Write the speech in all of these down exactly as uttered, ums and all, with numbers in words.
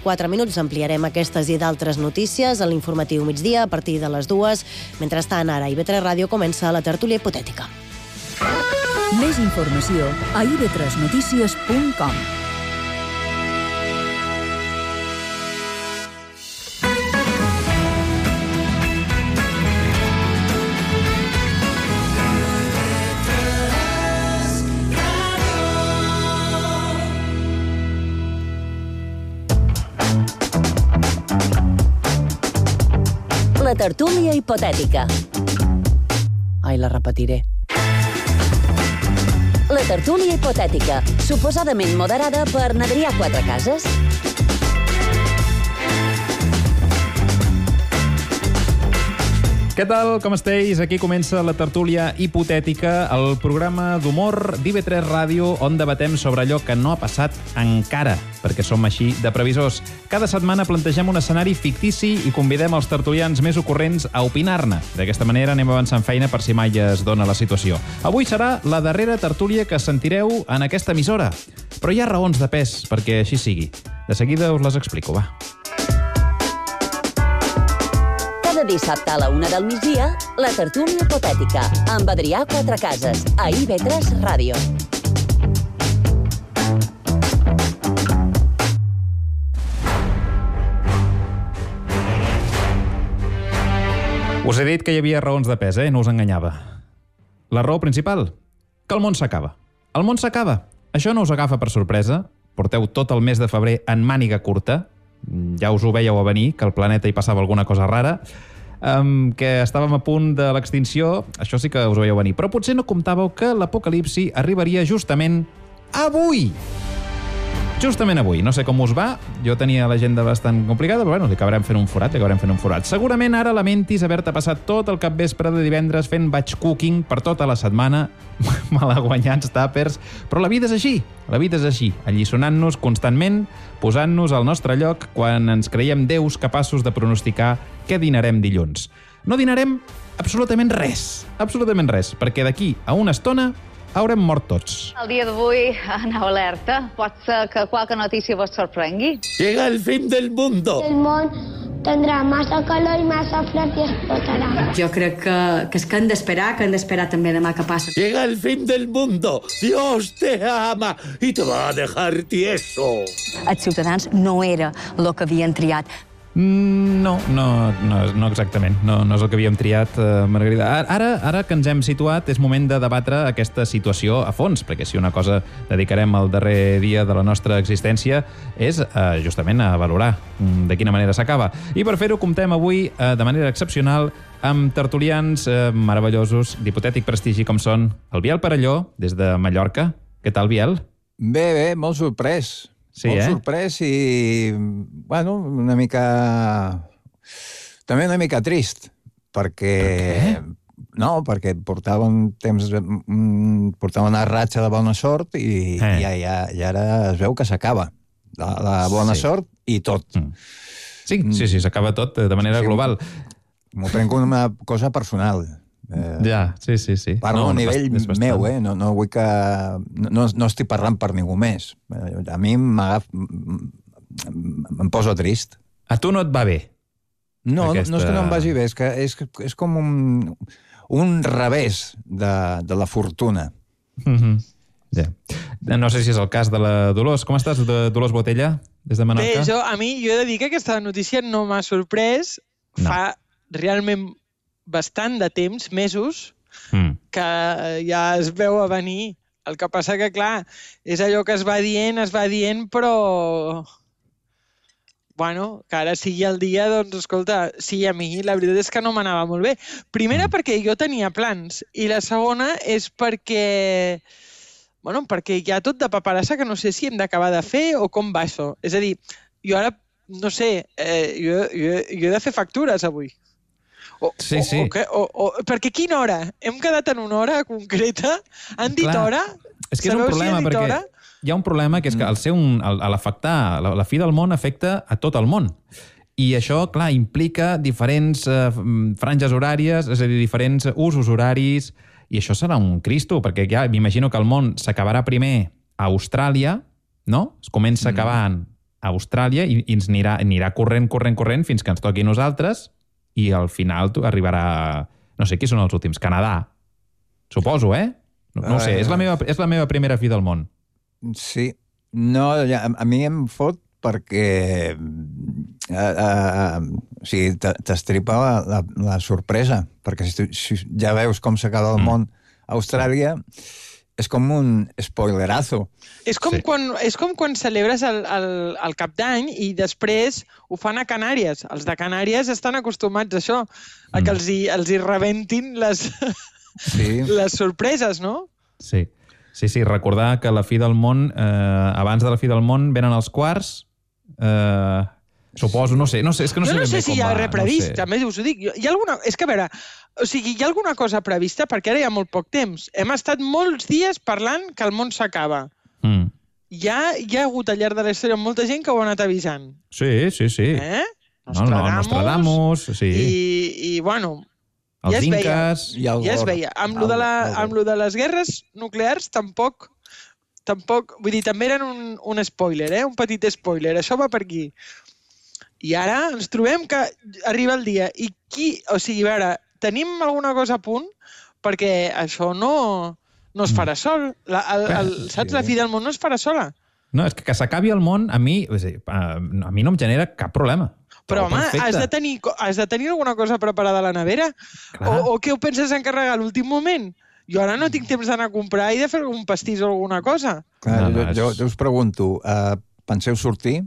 quatre minuts ampliarem aquestes i d'altres notícies a l'informatiu migdia a partir de les dues. Mentrestant, ara a I V tres Ràdio comença la tertúlia hipotètica. Més informació a i ve tres notícies punt com. La tertúlia hipotètica. Ai, la repetiré. La tertúlia hipotètica, suposadament moderada per Adrià Quatrecases. Què tal, com esteu? Aquí comença la tertúlia hipotètica, el programa d'humor d'I V tres Ràdio, on debatem sobre allò que no ha passat encara, perquè som així de previsors. Cada setmana plantegem un escenari fictici i convidem els tertulians més ocorrents a opinar-ne. D'aquesta manera anem avançant feina per si mai es dona la situació. Avui serà la darrera tertúlia que sentireu en aquesta emissora. Però hi ha raons de pes perquè així sigui. De seguida us les explico, va. Cada dissabte a la una del migdia, la tertúlia hipotètica, amb Adrià Quatrecases, a I V tres Ràdio. Us he dit que hi havia raons de pes, eh? No us enganyava. La raó principal? Que el món s'acaba. El món s'acaba. Això no us agafa per sorpresa. Porteu tot el mes de febrer en màniga curta. Ja us ho veieu a venir, que al planeta hi passava alguna cosa rara, um, que estàvem a punt de l'extinció, això sí que us ho veieu venir. Però potser no comptàveu que l'apocalipsi arribaria justament avui. Justament avui. No sé com us va, jo tenia l'agenda bastant complicada, però bueno, li acabarem fent un forat, li acabarem fent un forat. Segurament ara lamentis haver-te passat tot el capvespre de divendres fent batch cooking per tota la setmana, malaguanyats tàpers, però la vida és així, la vida és així, alliçonant-nos constantment, posant-nos al nostre lloc quan ens creiem déus capaços de pronosticar què dinarem dilluns. No dinarem absolutament res, absolutament res, perquè d'aquí a una estona haurem mort tots. El dia d'avui, aneu alerta. Pot ser que qualque notícia vos sorprengui. Llega el fin del mundo. El món tindrà massa calor i massa fred i explotarà. Jo crec que, que és que hem d'esperar, que hem d'esperar també demà que passa. Llega el fin del mundo. Dios te ama y te va a dejar tieso. Els ciutadans no era el que havien triat. No, no, no, no exactament. No, no és el que havíem triat, eh, Margarida. Ara, ara que ens hem situat, és moment de debatre aquesta situació a fons, perquè si una cosa dedicarem al darrer dia de la nostra existència és eh, justament a valorar de quina manera s'acaba. I per fer-ho comptem avui eh, de manera excepcional amb tertulians eh, meravellosos d'hipotètic prestigi com són el Biel Perelló, des de Mallorca. Què tal, Biel? Bé, bé, molt sorprès. Sí, molt eh? sorprès i, bueno, una mica... També una mica trist, perquè... Per què? No, perquè portava un temps... Portava una ratxa de bona sort i, eh. i, ja, i ara es veu que s'acaba. La, la bona sí. sort i tot. Mm. Sí, sí, sí, s'acaba tot de manera sí, global. M'ho prenc com una cosa personal. Eh, ja, sí, sí, sí. Parlo no, a nivell no meu, eh? No, no vull que... No, no estic parlant per ningú més. A mi m'agaf... em posa trist. A tu no et va bé? No, aquesta... no és que no em vagi bé, és que és, és com un, un revés de, de la fortuna. Mm-hmm. Yeah. No sé si és el cas de la Dolors. Com estàs, Dolors Botella, des de Menorca? Bé, jo, a mi, jo he de dir que aquesta notícia no m'ha sorprès. No. Fa realment bastant de temps, mesos, mm. que ja es veu a venir. El que passa que, clar, és allò que es va dient, es va dient, però... Bueno, que ara sigui el dia, doncs, escolta, sí, a mi la veritat és que no m'anava molt bé. Primera, mm. perquè jo tenia plans, i la segona és perquè... Bueno, perquè hi ha tot de paperassa que no sé si hem d'acabar de fer o com va això. És a dir, jo ara, no sé, eh, jo, jo, jo he de fer factures avui. O, sí, sí. O, o, o, o, perquè quina hora? Hem quedat en una hora concreta? Han dit clar, hora? És que és un problema, si perquè hora? Hi ha un problema que és que al ser un, al, a l'afectar, la, la fi del món afecta a tot el món. I això, clar, implica diferents eh, franges horàries, és a dir, diferents usos horaris, i això serà un cristo, perquè ja m'imagino que el món s'acabarà primer a Austràlia, no? Es comença acabant a Austràlia i, i ens anirà, anirà corrent, corrent, corrent fins que ens toqui a nosaltres i al final arribarà... No sé, qui són els últims? Canadà. Suposo, eh? No, no ho sé, és la, meva, és la meva primera fi del món. Sí. No, a, a mi em fot perquè uh, uh, o sigui, t'estripa la, la, la sorpresa, perquè si, tu, si ja veus com s'acaba el mm. món a Austràlia, és com un spoilerazo. És com, sí. quan, és com quan celebres el, el, el Cap d'Any i després ho fan a Canàries. Els de Canàries estan acostumats a això, a que els hi, els hi rebentin les, sí. les sorpreses, no? Sí. Sí, sí, recordar que la fi del món, eh, abans de la fi del món venen els quarts, eh, suposo, no sé, no sé, és que no sé jo no ben sé bé si com hi ha va, res previst, no sé. també us ho dic. Hi ha alguna... És que, a veure, o sigui, hi ha alguna cosa prevista perquè ara hi ha molt poc temps. Hem estat molts dies parlant que el món s'acaba. Mm. Hi, ha, hi ha hagut al llarg de la història molta gent que ho ha anat avisant. Sí, sí, sí. Eh? No, no, Nostradamus, sí. I, i bueno... Els ja es inques... veia, ja es veia. Amb lo, de la, amb lo de les guerres nuclears tampoc... tampoc vull dir, també eren un, un spoiler, eh? Un petit spoiler. Això va per aquí. I ara ens trobem que arriba el dia. I qui... O sigui, a veure, tenim alguna cosa a punt perquè això no, no es farà sol. La, el, el, saps? La fi del món no es farà sola. No, és que que s'acabi el món a mi, a mi no em genera cap problema. Però, home, has de, tenir, has de tenir alguna cosa preparada a la nevera? O, o què ho penses encarregar a l'últim moment? Jo ara no tinc temps d'anar a comprar i de fer algun pastís o alguna cosa. Clar, jo, jo, jo us pregunto, uh, penseu sortir?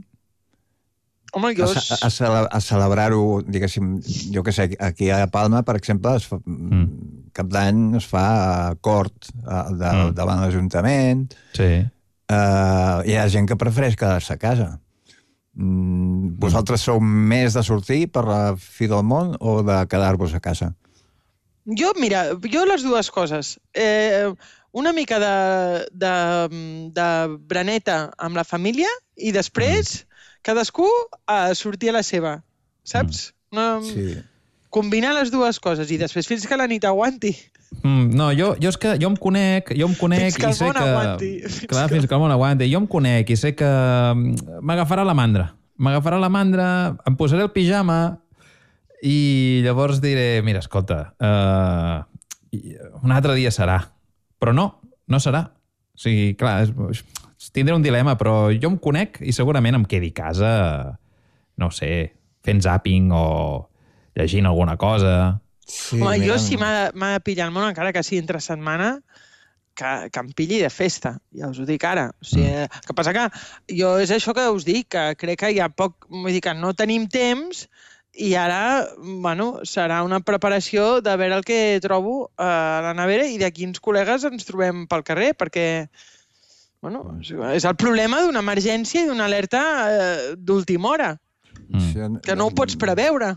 Home, jo... A, a, a, a celebrar-ho, diguéssim, jo què sé, aquí a Palma, per exemple, es fa, mm. cap d'any es fa cort uh, de, mm. davant l'Ajuntament. Sí. Uh, hi ha gent que prefereix quedar-se a casa. Mm, vosaltres sou més de sortir per la fi del món o de quedar-vos a casa? Jo, mira, jo les dues coses. Eh, una mica de, de, de braneta amb la família i després mm. cadascú a sortir a la seva, saps? Mm. No, sí. Combinar les dues coses i després fins que la nit aguanti. Mm, no, jo, jo és que jo em conec, jo em conec fins que i sé que... Aguanti. Fins clar, que... fins que el món aguanti. Jo em conec i sé que m'agafarà la mandra. M'agafarà la mandra, em posaré el pijama i llavors diré, mira, escolta, uh, un altre dia serà. Però no, no serà. O sigui, clar, és, tindré un dilema, però jo em conec i segurament em quedi a casa, no sé, fent zapping o llegint alguna cosa. Sí, home, jo si m'ha de pillar el món, encara que sigui entre setmana, que, que em pilli de festa, ja us ho dic ara. O sigui, mm. El que passa que jo és això que us dic, que crec que hi ha poc... Vull dir que no tenim temps i ara, bueno, serà una preparació de veure el que trobo a la nevera i de quins col·legues ens trobem pel carrer, perquè, bueno, és el problema d'una emergència i d'una alerta eh, d'última hora. Mm. Que no ho pots preveure.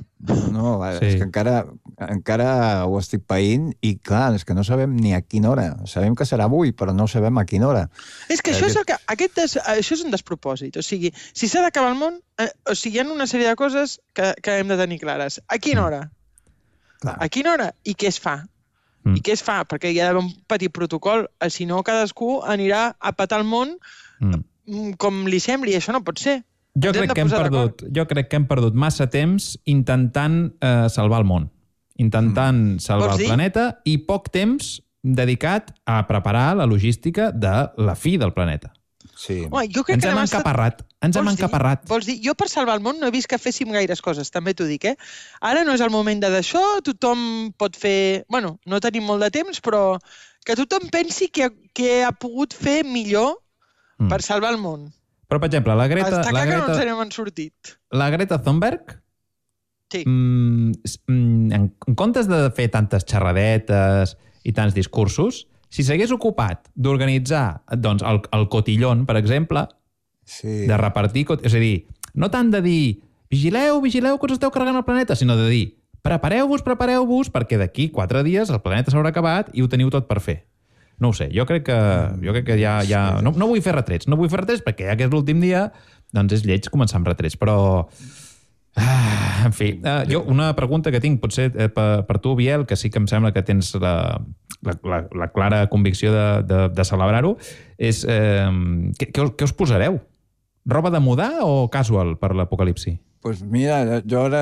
No, sí. És que encara, encara ho estic païnt i, clar, és que no sabem ni a quina hora. Sabem que serà avui, però no sabem a quina hora. És que això és, el que, aquest des, això és un despropòsit. O sigui, si s'ha d'acabar el món, eh, o sigui, hi ha una sèrie de coses que, que hem de tenir clares. A quina hora? Clar. A quina hora? I què es fa? Mm. I què es fa? Perquè hi ha d'haver un petit protocol. Si no, cadascú anirà a petar el món mm. com li sembli. Això no pot ser. Jo crec, que hem perdut, jo crec que hem perdut massa temps intentant eh, salvar el món, intentant mm. salvar el planeta i poc temps dedicat a preparar la logística de la fi del planeta. Sí. Home, jo crec ens que hem encaparrat. Ens hem encaparrat. Vols dir? Jo per salvar el món no he vist que féssim gaires coses, també t'ho dic, eh? Ara no és el moment de d'això, tothom pot fer... Bueno, no tenim molt de temps, però que tothom pensi que, que ha pogut fer millor mm. per salvar el món. Però, per exemple, la Greta... Està la clar Greta, que no ens n'hem sortit. La Greta Thunberg, sí. mm, en, en comptes de fer tantes xerradetes i tants discursos, si s'hagués ocupat d'organitzar doncs, el, el cotillón, per exemple, sí. de repartir... És a dir, no tant de dir vigileu, vigileu que us esteu carregant el planeta, sinó de dir prepareu-vos, prepareu-vos, perquè d'aquí quatre dies el planeta s'haurà acabat i ho teniu tot per fer. No ho sé, jo crec que, jo crec que ja... ja... No, no vull fer retrets, no vull fer retrets perquè ja que és l'últim dia, doncs és lleig començar amb retrets, però... Ah, en fi, uh, jo una pregunta que tinc, potser eh, per, per tu, Biel, que sí que em sembla que tens la, la, la, la clara convicció de, de, de celebrar-ho, és eh, què, què, us, què us posareu? Roba de mudar o casual per l'apocalipsi? Pues mira, jo ara,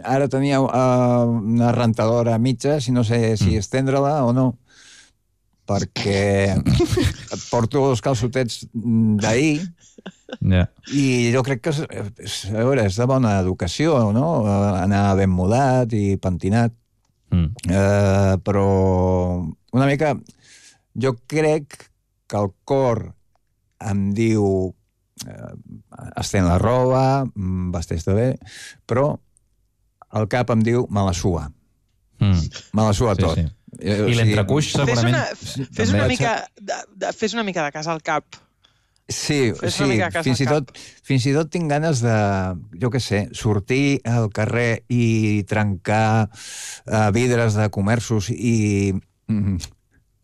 ara tenia una rentadora mitja, si no sé si mm. estendre-la o no, perquè porto els calçotets d'ahir yeah. i jo crec que és, a veure, és de bona educació, no? Anar ben mudat i pentinat. Mm. Uh, però una mica jo crec que el cor em diu uh, estén la roba, vesteix-te bé, però el cap em diu me la sua. Mm. Me la sua sí, tot. Sí. I l'entrecuix segurament... Fes una, fes una, mica, de, de, fes una mica de cas al cap. Sí, sí fins, i tot, fins i tot tinc ganes de, jo què sé, sortir al carrer i trencar uh, vidres de comerços i mm,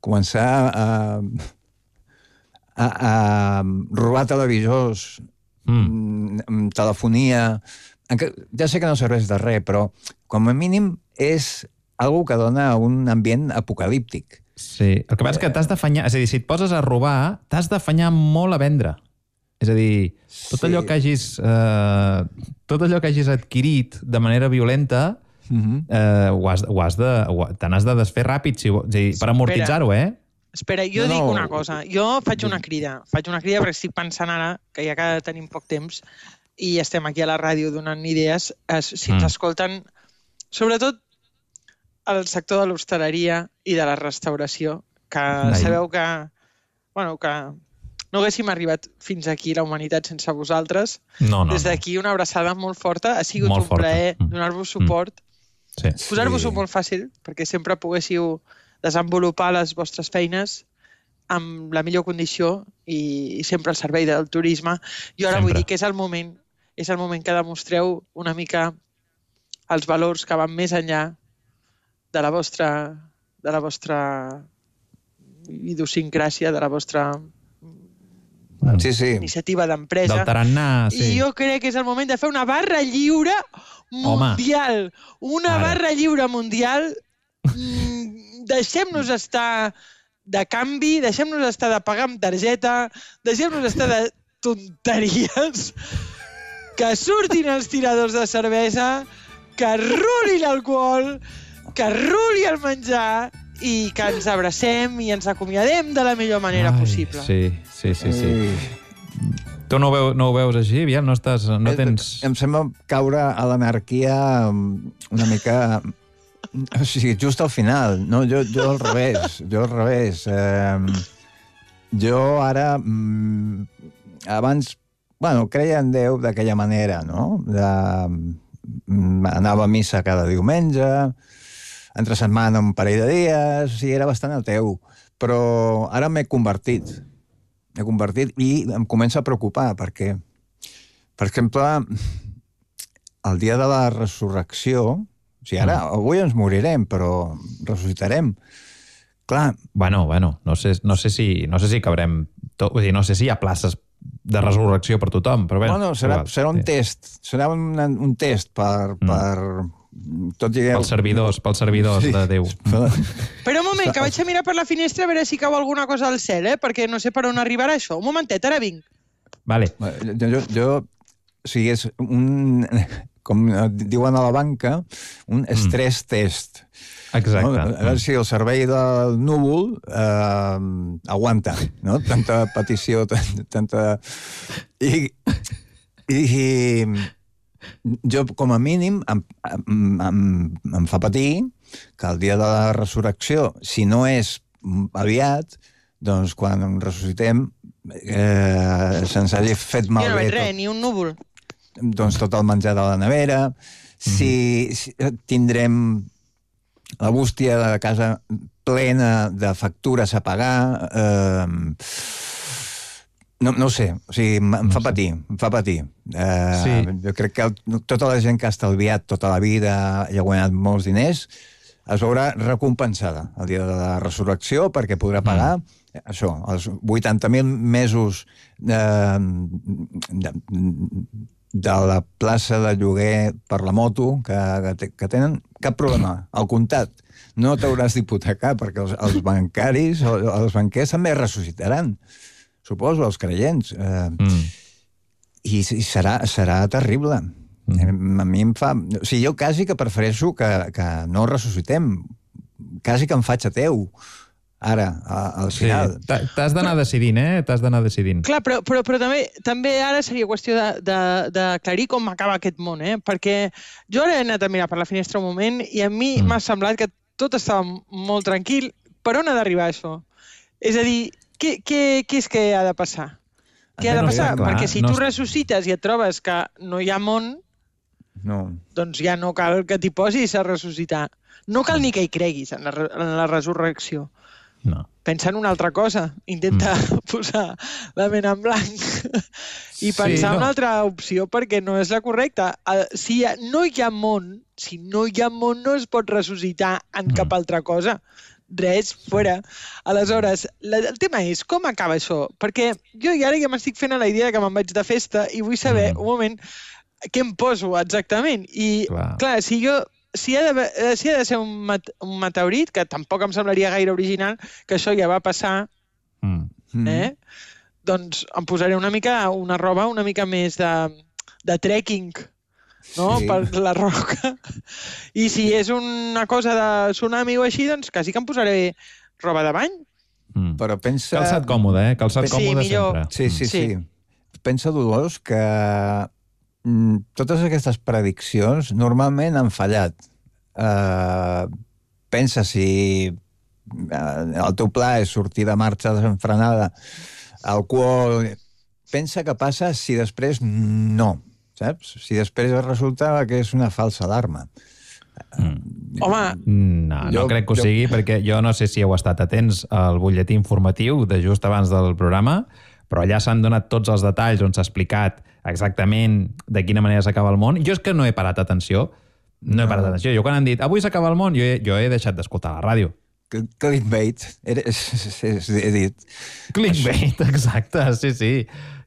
començar a, a, a robar televisors, mm. telefonia... Ja sé que no serveix de res, però com a mínim és algo que dona un ambient apocalíptic. Sí, el que passa és que t'has d'afanyar... És a dir, si et poses a robar, t'has d'afanyar molt a vendre. És a dir, tot sí. allò que hagis... Eh, tot allò que hagis adquirit de manera violenta, uh-huh. eh, ho has, ho has de... Te n'has de desfer ràpid, si, és a dir, per amortitzar-ho, eh? Espera, jo no, dic una cosa. Jo faig una crida. Faig una crida perquè estic pensant ara, que ja que tenim poc temps, i estem aquí a la ràdio donant idees, es, si ens mm. escolten, sobretot el sector de l'hostaleria i de la restauració, que Ai. sabeu que, bueno, que no haguéssim arribat fins aquí, la humanitat, sense vosaltres. No, no, Des d'aquí una abraçada molt forta. Ha sigut molt un forta. plaer mm. donar-vos suport. Mm. Sí. Posar-vos-ho sí. molt fàcil, perquè sempre poguéssiu desenvolupar les vostres feines amb la millor condició i, i sempre al servei del turisme. Jo ara sempre. vull dir que és el moment, és el moment que demostreu una mica els valors que van més enllà de la vostra, de la vostra idiosincràsia, de la vostra sí, sí. iniciativa d'empresa. Del tarannà, sí. I jo crec que és el moment de fer una barra lliure mundial. Home. Una Ara. barra lliure mundial. Deixem-nos estar de canvi, deixem-nos estar de pagar amb targeta, deixem-nos estar de tonteries, que surtin els tiradors de cervesa, que ruli l'alcohol, que ruli el menjar i que ens abracem i ens acomiadem de la millor manera Ai, possible. Sí, sí, sí. sí. Mm. Tu no ho, veu, no ho veus així, Biel? No, estàs, no tens... Em sembla caure a l'anarquia una mica... O sigui, just al final. No, jo, jo al revés. Jo al revés. Eh, jo ara... Mm, abans, bueno, creia en Déu d'aquella manera, no? De, mm, anava a missa cada diumenge, entre setmana un parell de dies, i era bastant ateu. Però ara m'he convertit. M'he convertit i em comença a preocupar, perquè, per exemple, el dia de la resurrecció, o sigui, ara, avui ens morirem, però ressuscitarem. Clar... Bueno, bueno, no sé, no sé si, no sé si cabrem... Tot, vull dir, no sé si hi ha places de resurrecció per tothom, però bé... Bueno, serà, serà un sí. test. Serà un, un test per... Mm. per tot i... Pels servidors, pels servidors sí. de Déu. Però un moment, que vaig a mirar per la finestra a veure si cau alguna cosa al cel, eh? Perquè no sé per on arribarà això. Un momentet, ara vinc. Vale. Jo, jo, jo o sigui, és un... com diuen a la banca, un stress mm. test. Exacte. No? A veure si el servei del núvol eh, aguanta, no? Tanta petició, tanta... I, i, i jo, com a mínim, em, em, em, em fa patir que el dia de la resurrecció, si no és aviat, doncs quan ressuscitem eh, se'ns hagi fet malbé... Jo no veig res, ni un núvol. Doncs tot el menjar de la nevera, si, si tindrem la bústia de la casa plena de factures a pagar... Eh, no, no ho sé, o sigui, em no fa sé. patir, em fa patir. Eh, sí. Jo crec que el, tota la gent que ha estalviat tota la vida i ha guanyat molts diners es veurà recompensada el dia de la resurrecció perquè podrà pagar mm. això, els vuitanta mil mesos de, de, de la plaça de lloguer per la moto que, que, que tenen cap problema, al comptat. No t'hauràs d'hipotecar perquè els, els bancaris, els banquers també ressuscitaran. Suposo, els creients. Eh, mm. i, i serà, serà terrible. Mm. A mi em fa... O sigui, jo quasi que prefereixo que, que no ressuscitem. Quasi que em faig ateu. Ara, al final. Sí. T'has d'anar decidint, eh? T'has d'anar decidint. Clar, però, però, però també, també ara seria qüestió d'aclarir com acaba aquest món, eh? Perquè jo ara he anat a mirar per la finestra un moment i a mi mm. m'ha semblat que tot estava molt tranquil. Per on ha d'arribar això? És a dir, què, què, què és que ha de passar? Què ha de passar? No sé, clar, perquè si no tu ressuscites i et trobes que no hi ha món, no. doncs ja no cal que t'hi posis a ressuscitar. No cal ni que hi creguis en la, en la resurrecció. No. Pensa en una altra cosa. Intenta mm. posar la ment en blanc i pensar sí, no. en una altra opció perquè no és la correcta. Si no hi ha món, si no hi ha món no es pot ressuscitar en mm. cap altra cosa. Res, fora. Aleshores, la, el tema és com acaba això? Perquè jo ara ja m'estic fent a la idea que me'n vaig de festa i vull saber, mm. un moment, què em poso exactament. I, clar, clar si jo... Si ha, de, si ha de ser un, mat, un meteorit, que tampoc em semblaria gaire original, que això ja va passar, mm. eh? doncs em posaré una mica una roba una mica més de, de trekking, no? Sí. Per la roca. I si és una cosa de tsunami o així, doncs quasi que em posaré roba de bany. Mm. Però pensa... Calçat còmode, eh? Calçat sí, còmode millor. sempre. Sí, sí, sí, sí. Pensa, Dolors, que totes aquestes prediccions normalment han fallat. Uh, pensa si uh, el teu pla és sortir de marxa desenfrenada, alcohol... Pensa què passa si després no, saps? Si després resulta que és una falsa alarma. Mm. Home... No, no jo, crec que ho jo... sigui, perquè jo no sé si heu estat atents al butlletí informatiu de just abans del programa, però allà s'han donat tots els detalls on s'ha explicat exactament de quina manera s'acaba el món. Jo és que no he parat atenció. No he parat atenció. Jo quan han dit avui s'acaba el món, jo he, jo he deixat d'escoltar la ràdio. Clickbait, he, he dit. Clickbait, exacte, sí, sí.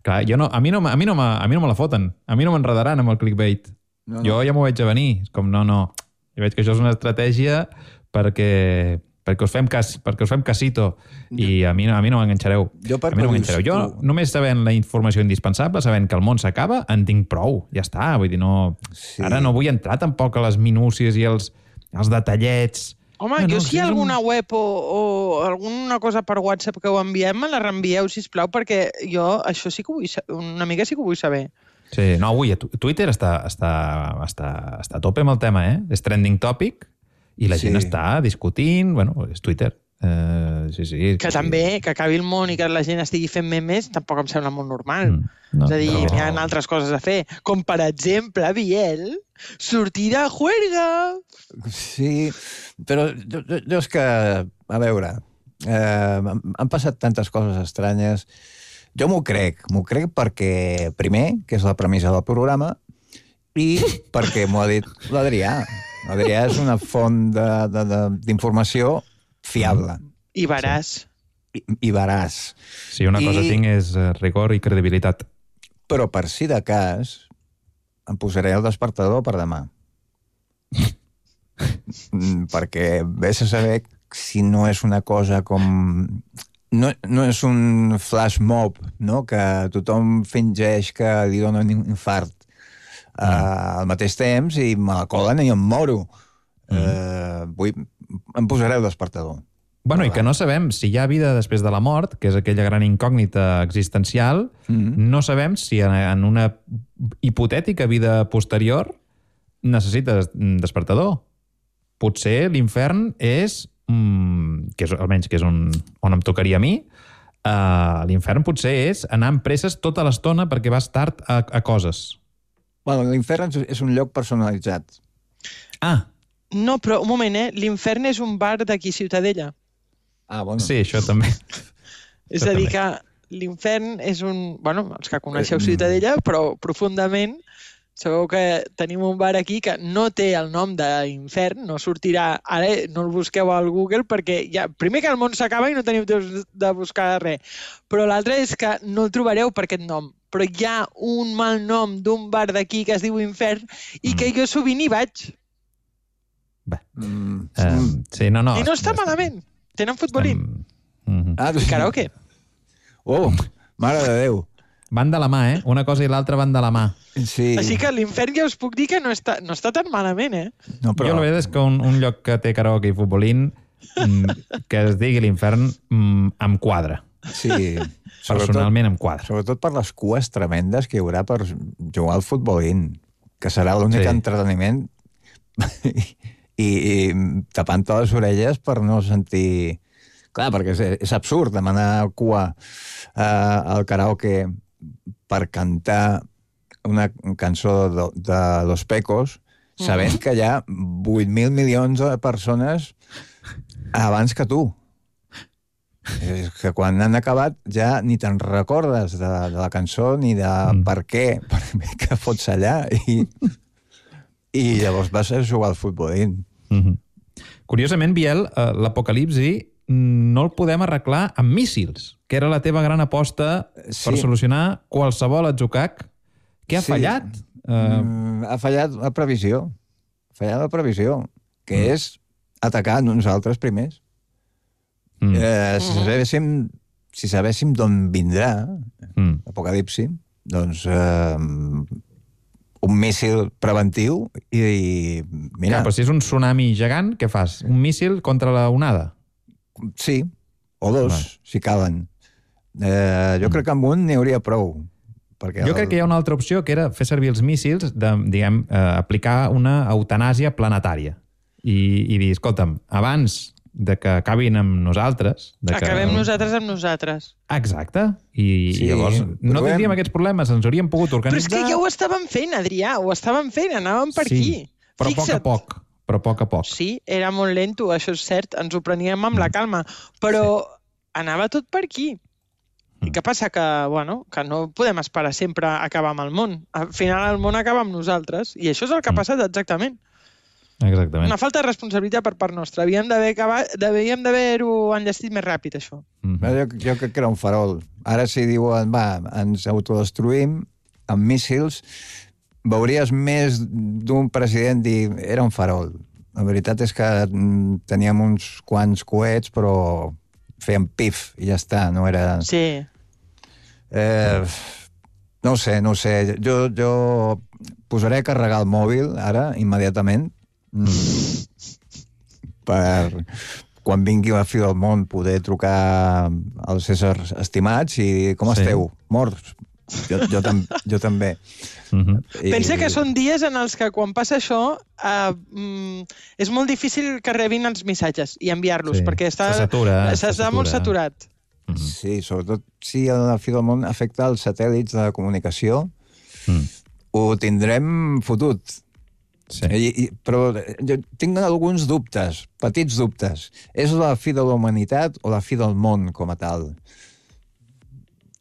Clar, jo no, a, mi no, a, mi no a mi no me la foten. A mi no m'enredaran amb el clickbait. No, no. Jo ja m'ho veig a venir. Com, no, no. Jo veig que això és una estratègia perquè... perquè us fem, cas, perquè us fem casito i a mi, a mi no m'enganxareu. Jo, a mi no m'enganxareu. Jo només sabent la informació indispensable, sabent que el món s'acaba, en tinc prou. Ja està. Vull dir, no... Sí. Ara no vull entrar tampoc a les minúcies i els, els detallets. Home, no, jo no, si hi ha alguna un... web o, o alguna cosa per WhatsApp que ho enviem, me la reenvieu, sisplau, perquè jo això sí que ho vull saber, una mica sí que ho vull saber. Sí, no, avui Twitter està, està, està, està a tope amb el tema, eh? És trending topic. I la gent sí. està discutint, bueno, és Twitter. Uh, sí, sí, que sí. també, que acabi el món i que la gent estigui fent memes, tampoc em sembla molt normal. Mm, no, és a dir, no. Hi ha altres coses a fer. Com, per exemple, Biel, sortir de juerga. Sí, però jo, jo és que, a veure, eh, han passat tantes coses estranyes. Jo m'ho crec, m'ho crec perquè, primer, que és la premissa del programa, i perquè m'ho ha dit l'Adrià. L'Adrià és una font d'informació fiable. I veraç. I, i veraç. Sí, una cosa I, tinc és rigor i credibilitat. Però per si de cas, em posaré el despertador per demà. Perquè vés a saber si no és una cosa com... No, no és un flash mob, no? Que tothom fingeix que li dona un infart. Mm. Uh, al mateix temps i me la colen i em moro. Mm. Uh, vull, em posaré el despertador. Bueno, i que no sabem si hi ha vida després de la mort, que és aquella gran incògnita existencial, mm. no sabem si en una hipotètica vida posterior necessites despertador. Potser l'infern és, mm, que és, almenys que és un, on em tocaria a mi, uh, l'infern potser és anar amb presses tota l'estona perquè vas tard a, a coses. Bueno, l'infern és un lloc personalitzat. Ah. No, però un moment, eh? L'infern és un bar d'aquí Ciutadella. Ah, bueno. Sí, això també. És a dir que l'infern és un... Bueno, els que coneixeu Ciutadella, però profundament sabeu que tenim un bar aquí que no té el nom d'infern, no sortirà... Ara no el busqueu al Google perquè ja... Primer que el món s'acaba i no teniu temps de buscar res. Però l'altre és que no el trobareu per aquest nom. Però hi ha un mal nom d'un bar d'aquí que es diu Infern i que jo sovint hi vaig. Bé. Mm. Um, sí, no, no. I no està malament. Tenen futbolín. Um, uh-huh. Ah, I karaoke. Oh, mare de Déu. Van de la mà, eh? Una cosa i l'altra van de la mà. Sí. Així que l'infern ja us puc dir que no està, no està tan malament, eh? No, però... Jo la veritat és que un, un lloc que té karaoke i futbolín que es digui l'infern em quadra. Sí. Personalment em quadra. Sobretot per les cues tremendes que hi haurà per jugar al futbolín, que serà l'únic sí. entreteniment i, i tapant-te les orelles per no sentir... Clar, perquè és, és absurd demanar cua eh, al karaoke per cantar una cançó de, de Los Pecos, sabent mm-hmm. que hi ha vuit mil milions de persones abans que tu. És que quan han acabat ja ni te'n recordes de, de la cançó ni de mm. per què, per què fots allà i, i llavors vas a jugar al futbolín. Mm-hmm. Curiosament, Biel, eh, l'apocalipsi no el podem arreglar amb míssils, que era la teva gran aposta sí. per solucionar qualsevol atzucac. Què ha sí. fallat? Uh... Mm, ha fallat la previsió. Ha fallat la previsió, que mm. és atacar nosaltres primers. Mm. Eh, si sabéssim, si sabéssim d'on vindrà mm. l'apocalipsi, doncs eh, un míssil preventiu i, i mira... Clar, però si és un tsunami gegant, què fas? Un míssil contra la onada? Sí, o dos, Va. si calen. Eh, jo mm. crec que amb un n'hi hauria prou. Perquè jo el... crec que hi ha una altra opció, que era fer servir els míssils, de, diguem, eh, aplicar una eutanàsia planetària. I, i dir, escolta'm, abans de que acabin amb nosaltres... De que... Acabem nosaltres amb nosaltres. Exacte. I, sí, i llavors no tindríem aquests problemes, ens hauríem pogut organitzar... Però és que ja ho estàvem fent, Adrià, ho estàvem fent, anàvem per sí, aquí. Però a poc a poc. Però a poc a poc. Sí, era molt lento, això és cert, ens ho preníem amb la calma, però sí. anava tot per aquí. I què passa? Que, bueno, que no podem esperar sempre a acabar amb el món. Al final el món acaba amb nosaltres, i això és el que ha passat exactament. Exactament. Una falta de responsabilitat per part nostra. Havíem d'haver acabat, havíem d'haver-ho enllestit més ràpid, això. Mm-hmm. jo, jo crec que era un farol. Ara si diuen, va, ens autodestruïm amb míssils, veuries més d'un president dir era un farol. La veritat és que teníem uns quants coets, però fèiem pif i ja està, no era... Sí. Eh, no ho sé, no ho sé. Jo, jo posaré a carregar el mòbil ara, immediatament, per quan vingui la fi del món poder trucar als éssers estimats i dir, com sí. esteu? Morts? Jo, jo, tam jo també. Uh-huh. I... Pensa que són dies en els que quan passa això uh, mm, és molt difícil que rebin els missatges i enviar-los, sí. perquè està, està molt saturat. Uh-huh. Sí, sobretot si la fi del món afecta els satèl·lits de comunicació, uh-huh. ho tindrem fotut. Sí. I, i, però jo tinc alguns dubtes, petits dubtes. És la fi de la humanitat o la fi del món com a tal?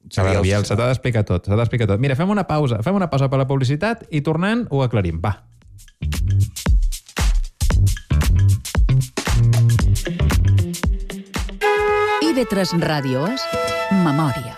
A veure, Biel, se t'ha d'explicar tot, se t'ha d'explicar tot. Mira, fem una pausa, fem una pausa per la publicitat i tornant ho aclarim. Va. I ve tres Ràdio és Memòria.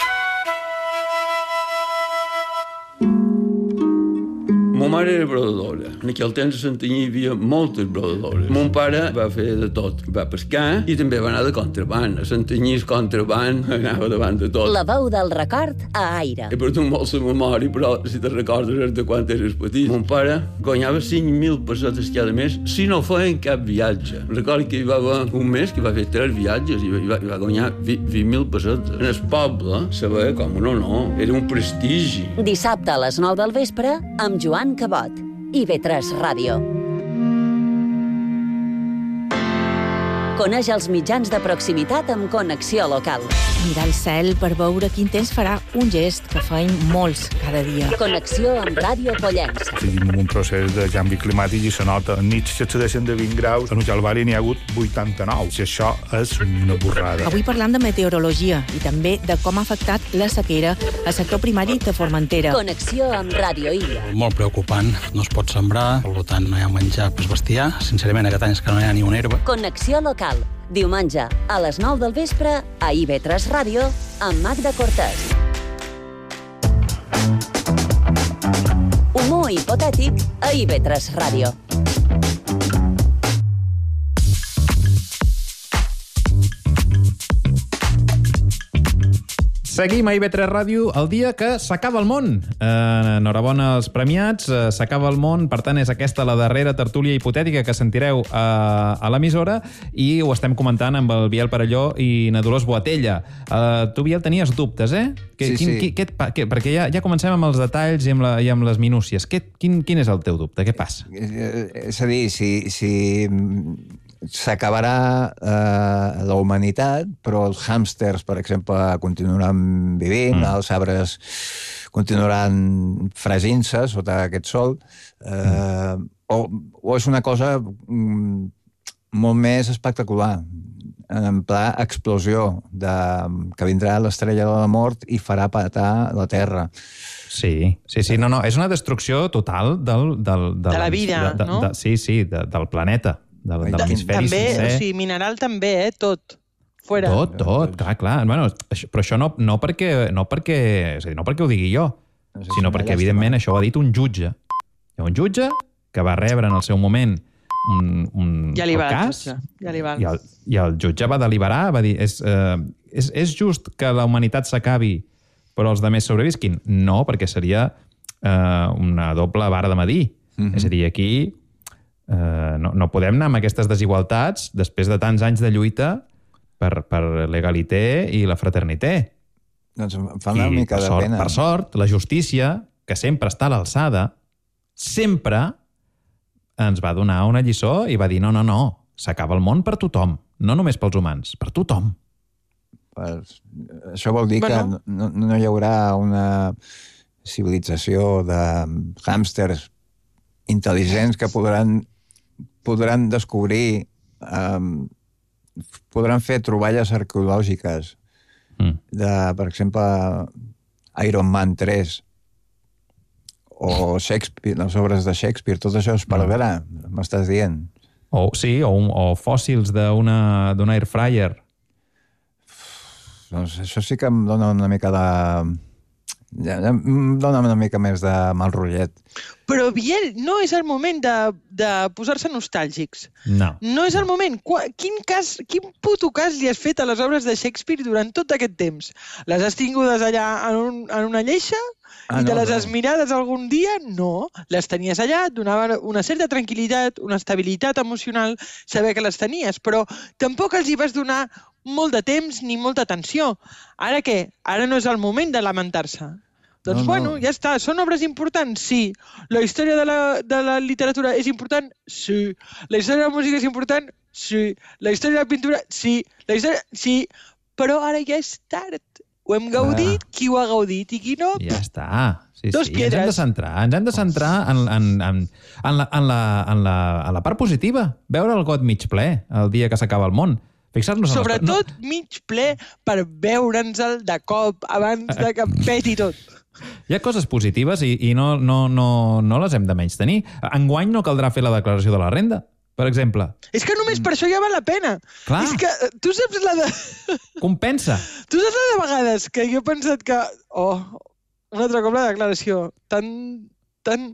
Ma mare era brodadora. En aquell temps a Santanyí hi havia moltes brodadores. Mon pare va fer de tot. Va pescar i també va anar de contraband. A Santanyí el contraband anava davant de tot. La veu del record a Aire. He perdut molt la memòria, però si te recordes de quan eres petit. Mon pare guanyava cinc mil pessetes cada mes si no feien cap viatge. Recordo que hi va haver un mes que va fer tres viatges i va, i va, i va guanyar vint mil pessetes. En el poble se veia com un honor. Era un prestigi. Dissabte a les nou del vespre amb Joan Cabot. I ve tres Ràdio. Coneix els mitjans de proximitat amb Connexió Local. Mirar el cel per veure quin temps farà, un gest que feim molts cada dia. Connexió amb Ràdio Pollença. Tenim un procés de canvi climàtic i se nota. En nits s'excedeixen de vint graus, en Calvari n'hi ha hagut vuitanta-nou. Si això és una borrada. Avui parlam de meteorologia i també de com ha afectat la sequera al sector primari de Formentera. Connexió amb Ràdio Illa. Molt preocupant. No es pot sembrar, per tant no hi ha menjar per bestiar. Sincerament, aquest any és que no hi ha ni una herba. Connexió Local. Diumenge, a les nou del vespre, a I ve tres Ràdio, amb Magda Cortés. Humor hipotètic a I ve tres Ràdio. Seguim a I B tres Ràdio el dia que s'acaba el món. Eh, enhorabona als premiats, eh, s'acaba el món, per tant és aquesta la darrera tertúlia hipotètica que sentireu a, a l'emissora i ho estem comentant amb el Biel Parelló i na Dolors Boatella. Eh, tu, Biel, tenies dubtes, eh? Que, sí, quin, sí. Qui, què et, què, perquè ja, ja comencem amb els detalls i amb, la, i amb les minúcies. Què, quin, quin és el teu dubte? Què passa? És a dir, si... si... s'acabarà eh, la humanitat, però els hàmsters, per exemple, continuaran vivint, mm. els arbres continuaran fregint-se sota aquest sol, eh, mm. o, o és una cosa mm, molt més espectacular, en pla explosió, de, que vindrà l'estrella de la mort i farà patar la Terra. Sí, sí, sí, no, no, és una destrucció total del... del, del de la vida, de, de, no? De, sí, sí, de, del planeta. De, de l'hemisferi també, sencer. o sigui, mineral també, eh? Tot. Fuera. Tot, tot, clar, clar. Bueno, això, però això no, no, perquè, no, perquè, és a dir, no perquè ho digui jo, no sé, sinó perquè, evidentment, això ho ha dit un jutge. Hi ha un jutge que va rebre en el seu moment un, un ja li va, cas jutge. Ja li va. I, el, i el jutge va deliberar, va dir, és, eh, és, és just que la humanitat s'acabi però els demés sobrevisquin? No, perquè seria eh, una doble vara de medir. Mm-hmm. És a dir, aquí Uh, no, no podem anar amb aquestes desigualtats després de tants anys de lluita per, per l'egalité i la fraternité. Doncs em fa una I mica de sort, pena. Per sort, la justícia, que sempre està a l'alçada, sempre ens va donar una lliçó i va dir no, no, no, s'acaba el món per tothom, no només pels humans, per tothom. Pues, això vol dir bueno. que no, no hi haurà una civilització de hàmsters intel·ligents que podran podran descobrir, um, podran fer troballes arqueològiques mm. de, per exemple, Iron Man tres o Shakespeare, les obres de Shakespeare, tot això es perdrà, mm. m'estàs dient. O, sí, o, un, o fòssils d'una d'una air fryer. Doncs això sí que em dona una mica de... Ja, ja em dona una mica més de mal rotllet. Però, Biel, no és el moment de, de posar-se nostàlgics. No. No és el moment. Quin, cas, quin puto cas li has fet a les obres de Shakespeare durant tot aquest temps? Les has tingudes allà en, un, en una lleixa ah, i te no, les no. has mirades algun dia? No. Les tenies allà, et donava una certa tranquil·litat, una estabilitat emocional, saber que les tenies, però tampoc els hi vas donar molt de temps ni molta atenció. Ara què? Ara no és el moment de lamentar-se. Doncs, no, no. bueno, ja està. Són obres importants? Sí. La història de la, de la literatura és important? Sí. La història de la música és important? Sí. La història de la pintura? Sí. La història... Sí. Però ara ja és tard. Ho hem gaudit, ah. qui ho ha gaudit i qui no... Ja està. Sí, Dos sí. piedres. Ens hem de centrar, ens hem de centrar en, en, en, en, la, en, la, en, la, en la part positiva. Veure el got mig ple el dia que s'acaba el món. Fixar-nos en Sobretot no. mig ple per veure'ns-el de cop abans de que peti tot. Hi ha coses positives i, i no, no, no, no les hem de menys tenir. Enguany no caldrà fer la declaració de la renda, per exemple. És que només per això ja val la pena. Clar. És que tu saps la de... Compensa. Tu saps la de vegades que jo he pensat que... Oh, un altre cop la declaració. Tan... tan...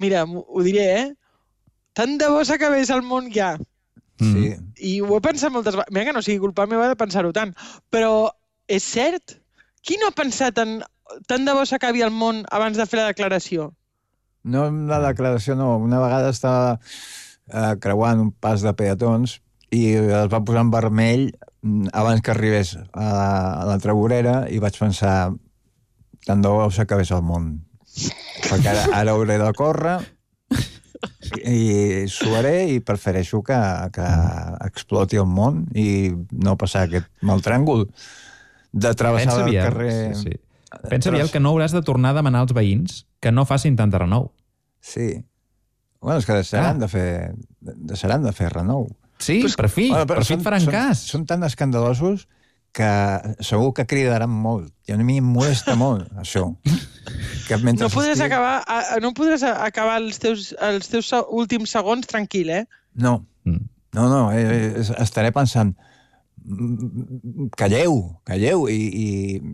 Mira, ho diré, eh? Tant de bo s'acabés el món ja. Sí. I ho he pensat moltes vegades. Mira que no sigui culpa meva de pensar-ho tant. Però és cert? Qui no ha pensat en tant de bo s'acabi el món abans de fer la declaració? No, la declaració no. Una vegada estava eh, creuant un pas de peatons i es va posar en vermell abans que arribés a la, a l'altra vorera i vaig pensar tant de bo s'acabés el món. Perquè ara, ara hauré de córrer i suaré i prefereixo que, que exploti el món i no passar aquest mal tràngol de travessar el carrer... Sí, sí. Pensa, Biel, que no hauràs de tornar a demanar als veïns que no facin tant de renou. Sí. Bueno, és que deixaran, ah. de, fer, deixaran de fer renou. Sí, pues, per fi, bueno, per fi et faran són, cas. Són tan escandalosos que segur que cridaran molt. I a mi em molesta molt, això. Que no podràs, estic... acabar, no podràs acabar els teus, els teus últims segons tranquil, eh? No, no, no. Eh, estaré pensant, calleu, calleu, i, i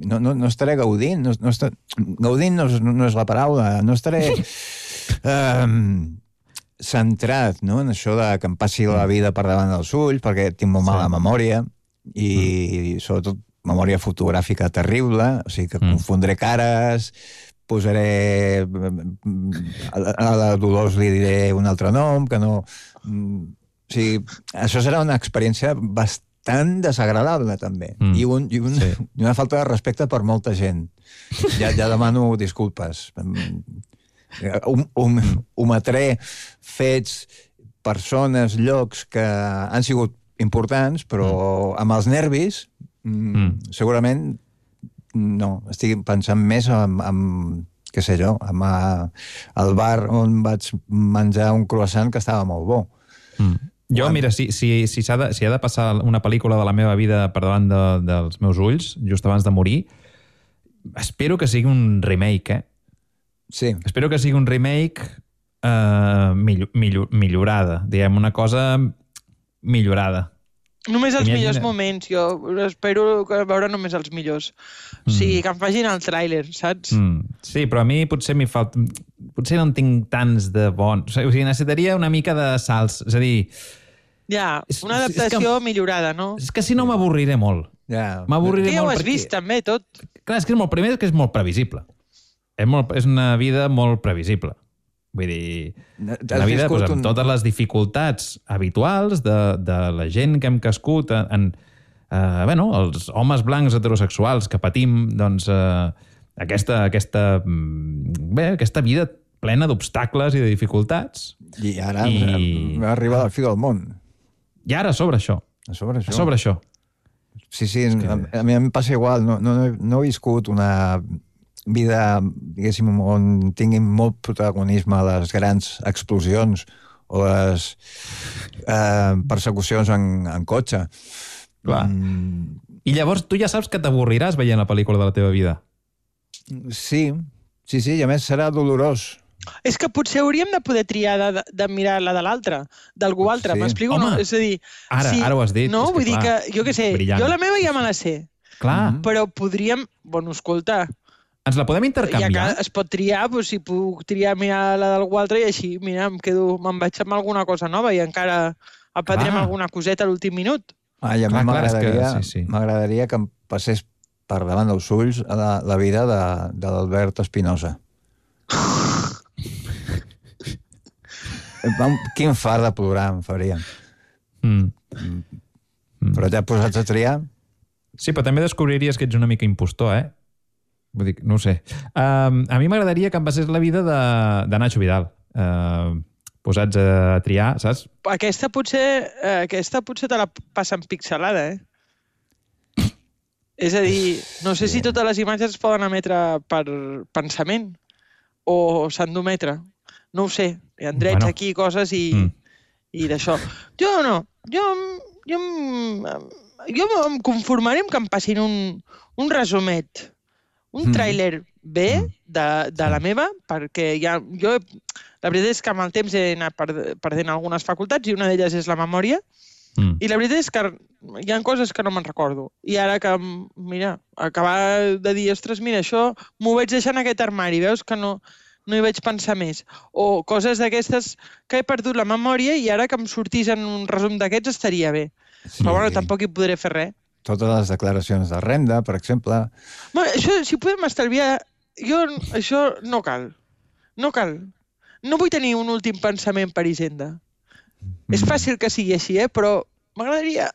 no, no, no estaré gaudint. No, no estar... Gaudint no és, no és la paraula. No estaré eh, centrat, no?, en això de que em passi la vida per davant dels ulls, perquè tinc molt mala sí. memòria, i, i sobretot memòria fotogràfica terrible, o sigui que mm. confondré cares, posaré... A la Dolors li diré un altre nom, que no... O sigui, això serà una experiència bastant desagradable, també. Mm. I, un, i, un, sí. i una falta de respecte per molta gent. Ja, ja demano disculpes. Um, um, ometré fets, persones, llocs que han sigut importants, però mm. amb els nervis mm. segurament no. Estic pensant més en, en què sé jo, en el bar on vaig menjar un croissant que estava molt bo. Mm. Jo, mira, si, si, si, ha de, si ha de passar una pel·lícula de la meva vida per davant de, dels meus ulls, just abans de morir, espero que sigui un remake, eh? Sí. Espero que sigui un remake eh, millor, millor, millorada, diguem, una cosa millorada. Només els millors moments, jo espero veure només els millors. O sigui, que em facin el tràiler, saps? Mm. Sí, però a mi potser m'hi falta... Potser no en tinc tants de bons... O sigui, necessitaria una mica de salts. És a dir... Ja, una adaptació que, millorada, no? És que si no m'avorriré molt. Ja. M'avorriré molt. Que ja ho has perquè... vist, també, tot. Clar, és que és molt... Primer que és molt previsible. És, molt, és una vida molt previsible. Vull dir, la vida pues, amb un... totes les dificultats habituals de, de la gent que hem crescut en, en eh, bueno, els homes blancs heterosexuals que patim doncs, eh, aquesta, aquesta, bé, aquesta vida plena d'obstacles i de dificultats. I ara I... va arribar al fi del món. I ara sobre això. A sobre això. A sobre això. Sí, sí, que... a, a mi em passa igual. No, no, no he viscut una... vida, diguéssim, on tinguin molt protagonisme les grans explosions o les eh, persecucions en, en cotxe. Clar. Mm. I llavors tu ja saps que t'avorriràs veient la pel·lícula de la teva vida. Sí, sí, sí, i a més serà dolorós. És que potser hauríem de poder triar de, de mirar la de l'altre, d'algú altre, sí. M'explico? Home, no? És a dir, ara, si, ara ho has dit. No, vull que, dir clar, que, jo què sé, brillant. Jo la meva ja me la sé. Clar. Però podríem, bueno, escolta... Ens la podem intercanviar? Ja que es pot triar, doncs, si puc triar mirar la d'algú altre i així, mira, em quedo, me'n vaig amb alguna cosa nova i encara aprendrem alguna coseta a l'últim minut. Ah, I a mi m'agradaria que, sí, sí. m'agradaria que em passés per davant dels ulls la, la vida de, de l'Albert Espinosa. Quin far de plorar em faria. Mm. Mm. Però ja posats a triar... Sí, però també descobriries que ets una mica impostor, eh? Vull dir, no ho sé. Um, a mi m'agradaria que em passés la vida de, de Nacho Vidal. Uh, posats a triar, saps? Aquesta potser, aquesta potser te la passen pixelada, eh? És a dir, no sé sí. si totes les imatges es poden emetre per pensament o s'han d'ometre. No ho sé. Hi ha drets bueno. aquí, coses i, mm. i d'això. Jo no. Jo, jo, jo em conformaré amb que em passin un, un resumet, un tràiler bé de, de la meva, perquè ja, jo, la veritat és que amb el temps he anat perdent algunes facultats i una d'elles és la memòria, mm. i la veritat és que hi ha coses que no me'n recordo. I ara que, mira, acabar de dir, ostres, mira, això m'ho vaig deixar en aquest armari, veus que no... no hi vaig pensar més. O coses d'aquestes que he perdut la memòria i ara que em sortís en un resum d'aquests estaria bé. Sí. Però bueno, tampoc hi podré fer res. Totes les declaracions de renda, per exemple. Bueno, això, si podem estalviar... Jo, això no cal. No cal. No vull tenir un últim pensament per Hisenda. Mm. És fàcil que sigui així, eh? Però m'agradaria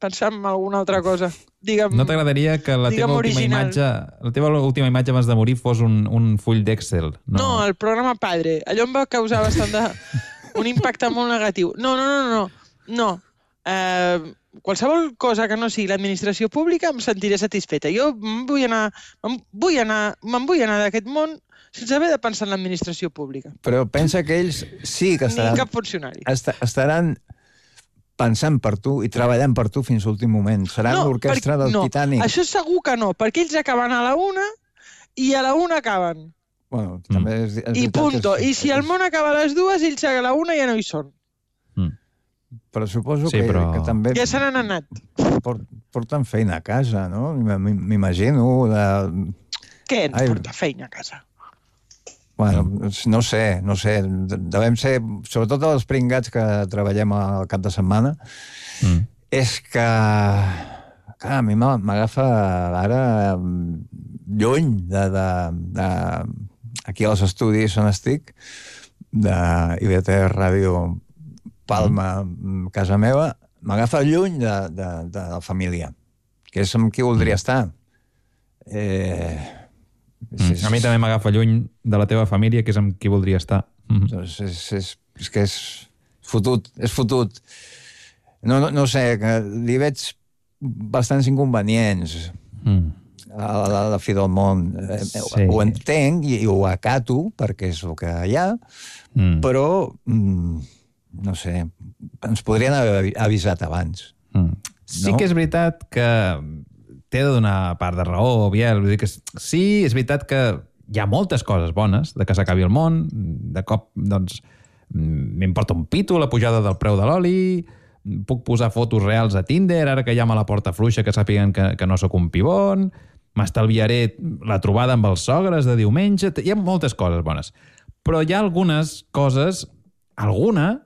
pensar en alguna altra cosa. Digue'm, no t'agradaria que la teva, última imatge, la teva última imatge abans de morir fos un, un full d'Excel? No. no, el programa Padre. Allò em va causar bastant de... un impacte molt negatiu. No, no, no, no. No. Eh, qualsevol cosa que no sigui l'administració pública em sentiré satisfeta. Jo em vull anar, em vull anar, me'n vull anar d'aquest món sense haver de pensar en l'administració pública. Però pensa que ells sí que estaran... Ni cap funcionari. Est estaran pensant per tu i treballant per tu fins a l'últim moment. Seran no, l'orquestra del no. Titanic. Això segur que no, perquè ells acaben a la una i a la una acaben. Bueno, també és, és I punto. És, I si el món acaba a les dues, ells a la una ja no hi són. Mm. Però suposo sí, que, però... que també... Ja se n'han anat. Port, porten feina a casa, no? M'imagino. De... Què ens Ai... porta feina a casa? Bueno, no sé, no sé. Devem ser, sobretot els pringats que treballem al cap de setmana, mm. és que clar, a mi m'agafa ara lluny de, de, de aquí als estudis on estic, de I V T Ràdio Palma, mm. casa meva, m'agafa lluny de, de, de la família, que és amb qui voldria estar. Eh... Mm. A mi també m'agafa lluny de la teva família, que és amb qui voldria estar. Mm. És, és, és, és que és fotut, és fotut. No, no, no sé, que li veig bastants inconvenients mm. a, la, a la fi del món. Sí. Ho entenc i, i ho acato, perquè és el que hi ha, mm. però, mm, no sé, ens podrien haver avisat abans. Mm. Sí no? que és veritat que t'he de donar part de raó, Biel. Vull dir que sí, és veritat que hi ha moltes coses bones de que s'acabi el món, de cop, doncs, m'importa un pito la pujada del preu de l'oli, puc posar fotos reals a Tinder, ara que ja me la porta fluixa, que sàpiguen que, que no sóc un pibon, m'estalviaré la trobada amb els sogres de diumenge, hi ha moltes coses bones. Però hi ha algunes coses, alguna,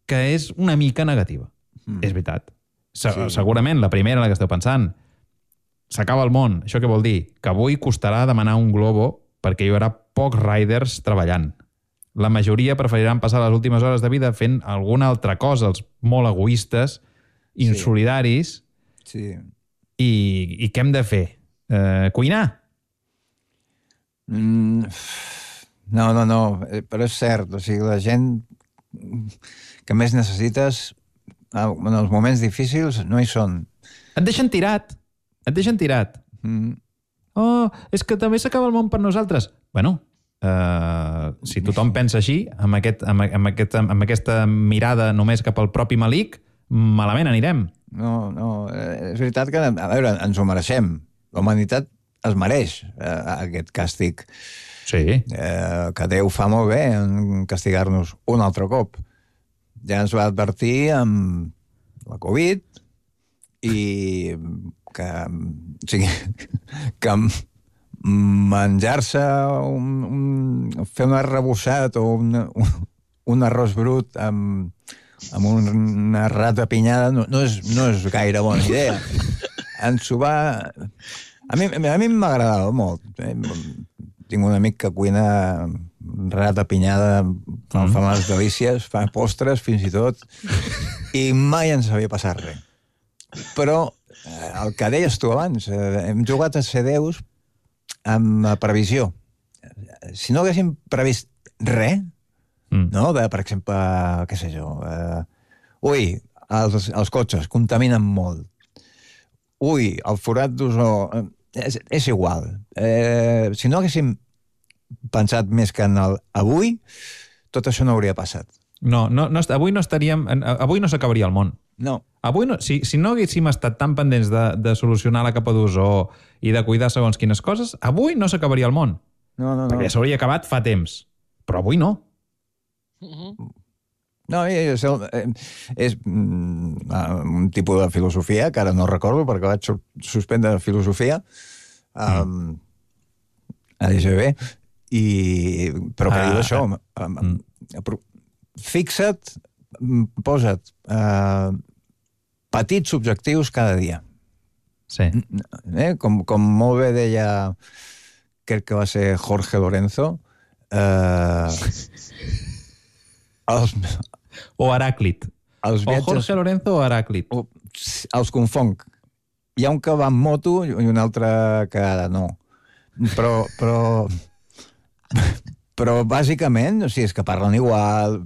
que és una mica negativa. Mm. És veritat. Se sí. Segurament la primera en la que esteu pensant, s'acaba el món. Això què vol dir? Que avui costarà demanar un globo perquè hi haurà pocs riders treballant. La majoria preferiran passar les últimes hores de vida fent alguna altra cosa, els molt egoistes, insolidaris. Sí. I, i què hem de fer? Eh, cuinar? Mm, no, no, no. Però és cert. O sigui, la gent que més necessites en els moments difícils no hi són. Et deixen tirat. Et deixen tirat. Mm. Oh, és que també s'acaba el món per nosaltres. Bueno, uh, si tothom pensa així, amb, aquest, amb, amb, aquest, amb aquesta mirada només cap al propi malic, malament anirem. No, no, és veritat que, a veure, ens ho mereixem. La humanitat es mereix uh, aquest càstig. Sí. Uh, que Déu fa molt bé en castigar-nos un altre cop. Ja ens va advertir amb la Covid i que, o sigui, que menjar-se un, un, fer un arrebossat o un, un, un arròs brut amb, amb una rata pinyada no, no, és, no és gaire bona idea. Ens ho va... A mi, a mi m'agradava molt. Tinc un amic que cuina rata pinyada, fa, mm. fa unes delícies, fa postres fins i tot, i mai ens havia passat res. Però el que deies tu abans, hem jugat a ser déus amb previsió. Si no haguéssim previst res, mm. no? De, per exemple, què sé jo, uh, ui, els, els cotxes contaminen molt. Ui, el forat d'ozó... És, és igual. Eh, si no haguéssim pensat més que en el avui, tot això no hauria passat. No, no, no avui no estaríem... Avui no s'acabaria el món. No. Avui, no, si, si no haguéssim estat tan pendents de, de solucionar la capa d'ozó i de cuidar segons quines coses, avui no s'acabaria el món. No, no, no. Perquè s'hauria acabat fa temps. Però avui no. Uh-huh. No, és, és un tipus de filosofia que ara no recordo perquè vaig suspendre filosofia um, mm. a l'I G B, i, però que ah, diu això. Ah, mm. Fixa't, posa't uh, petits objectius cada dia. Sí. Eh? Com, com molt bé deia, crec que va ser Jorge Lorenzo, uh, els, o Heràclit. Els viatges, o Jorge Lorenzo o Heràclit. O, els confonc. Hi ha un que va amb moto i un altre que no. Però, però, però bàsicament, o sigui, és que parlen igual.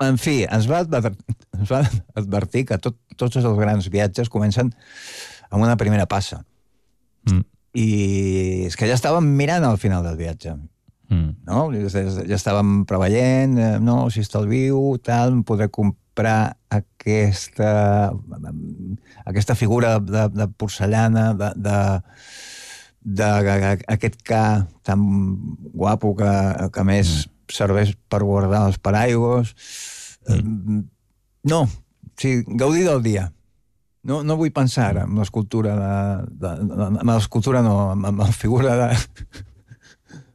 En fi, ens va advertir, ens va advertir que tot, tots els grans viatges comencen amb una primera passa. Mm. I és que ja estàvem mirant al final del viatge. Mm. No? Ja estàvem preveient, no, si estalvio, tal, podré comprar aquesta, aquesta figura de, de porcellana, de, de, de, de aquest ca tan guapo que, que més mm. serveix per guardar els paraigües. Mm. No, o sigui, gaudir del dia. No, no vull pensar en l'escultura de, de, de, en l'escultura no, en la figura de,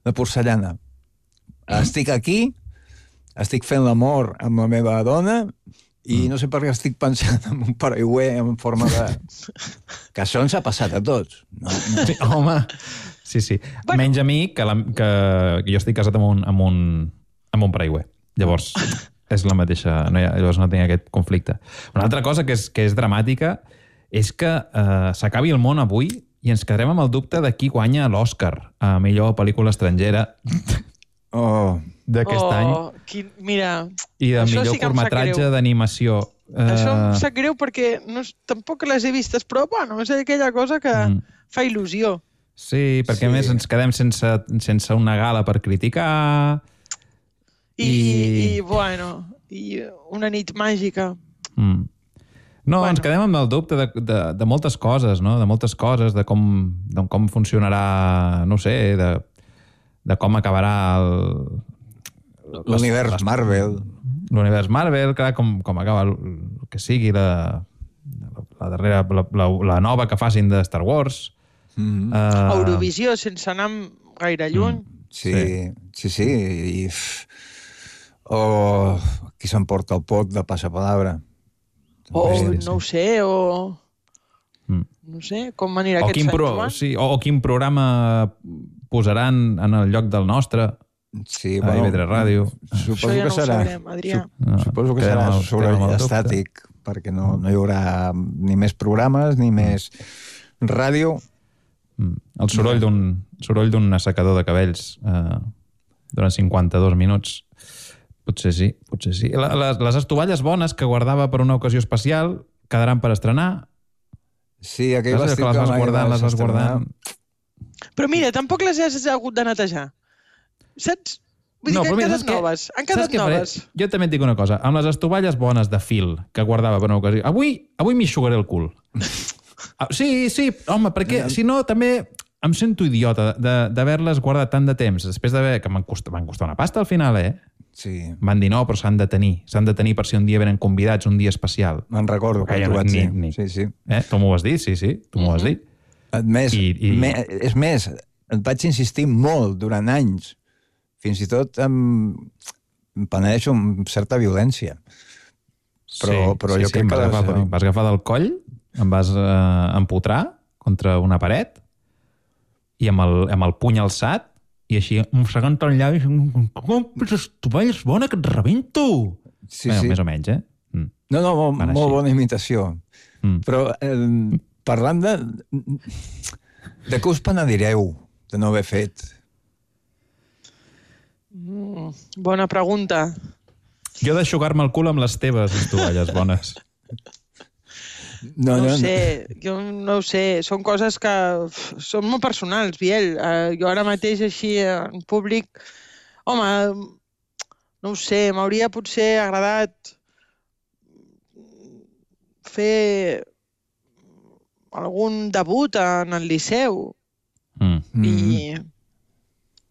de porcellana. Estic aquí, estic fent l'amor amb la meva dona I no sé per què estic pensant en un paraigüer en forma de... Que això ens ha passat a tots. No, no. Sí, home, sí, sí. Bueno. Menys a mi, que, la, que, que jo estic casat amb un, amb un, amb un paraigüer. Llavors, és la mateixa... No hi ha, llavors no tinc aquest conflicte. Una altra cosa que és, que és dramàtica és que eh, s'acabi el món avui i ens quedarem amb el dubte de qui guanya l'Oscar a millor pel·lícula estrangera oh. d'aquest oh, any. Quin, mira, I de millor sí curtmetratge d'animació. Això uh... em sap greu perquè no, tampoc les he vistes, però bueno, és aquella cosa que mm. fa il·lusió. Sí, perquè sí. A més ens quedem sense, sense una gala per criticar. I, i... i bueno, i una nit màgica. Mm. No, bueno. Ens quedem amb el dubte de, de, de moltes coses, no? De moltes coses, de com, de com funcionarà, no sé, de, de com acabarà el... L'univers Marvel. L'univers Marvel, clar, com, com acaba el, el que sigui la, la darrera, la, la, la nova que facin de Star Wars. Mm-hmm. Uh... Eurovisió, sense anar gaire lluny. Mm. Sí, sí, sí. I... O oh, qui s'emporta el pot de passapalabra. O sí, no ho sé, o... Mm. No sé, com anirà o aquest Sant pro... Joan? Sí, o, o quin programa posaran en el lloc del nostre sí, a bueno, I V tres Ràdio. Suposo ja que no serà... Sabrem, Adrià. No, suposo que serà sobre estàtic, perquè no, no hi haurà ni més programes, ni més ràdio. Mm. El soroll d'un soroll d'un assecador de cabells eh, durant cinquanta-dos minuts. Potser sí, potser sí. Les, les estovalles bones que guardava per una ocasió especial quedaran per estrenar. Sí, aquell vestit que les vas guardant, les vas guardant. Però mira, tampoc les has hagut d'anar a netejar. Saps? Vull dir no, que han mira, quedat noves. Han quedat noves. Faré? Jo també et dic una cosa. Amb les estovalles bones de fil que guardava per una ocasió... Avui, avui m'hi xugaré el cul. Sí, sí, home, perquè si no també... Em sento idiota d'haver-les guardat tant de temps, després d'haver... que m'han costat, costat una pasta al final, eh? Sí. Van dir no, però s'han de tenir. S'han de tenir per si un dia venen convidats, un dia especial. Me'n recordo que tu vaig dir. Ni... Sí, sí. Eh? Tu m'ho vas dir, sí, sí. Tu m'ho vas dir. A més, I, i... Me, és més, et vaig insistir molt durant anys. Fins i tot em, em penedeixo amb certa violència. Però, sí, però sí, jo sí, crec que... Les... Agafar, em vas agafar del coll, em vas eh, empotrar contra una paret i amb el, amb el puny alçat i així, mossegant el llavi, com les tovalles bona que et rebento! Sí, Bé, sí. Més o menys, eh? Mm. No, no, molt, molt bona imitació. Mm. Però eh, parlant de... De què us penedireu de no haver fet? Mm, bona pregunta. Jo d'aixugar-me el cul amb les teves, les tovalles bones. No, no, no sé, no. jo no ho sé. Són coses que són molt personals, Biel. Uh, jo ara mateix així en públic... Home, no ho sé, m'hauria potser agradat fer algun debut en el Liceu. Mm. I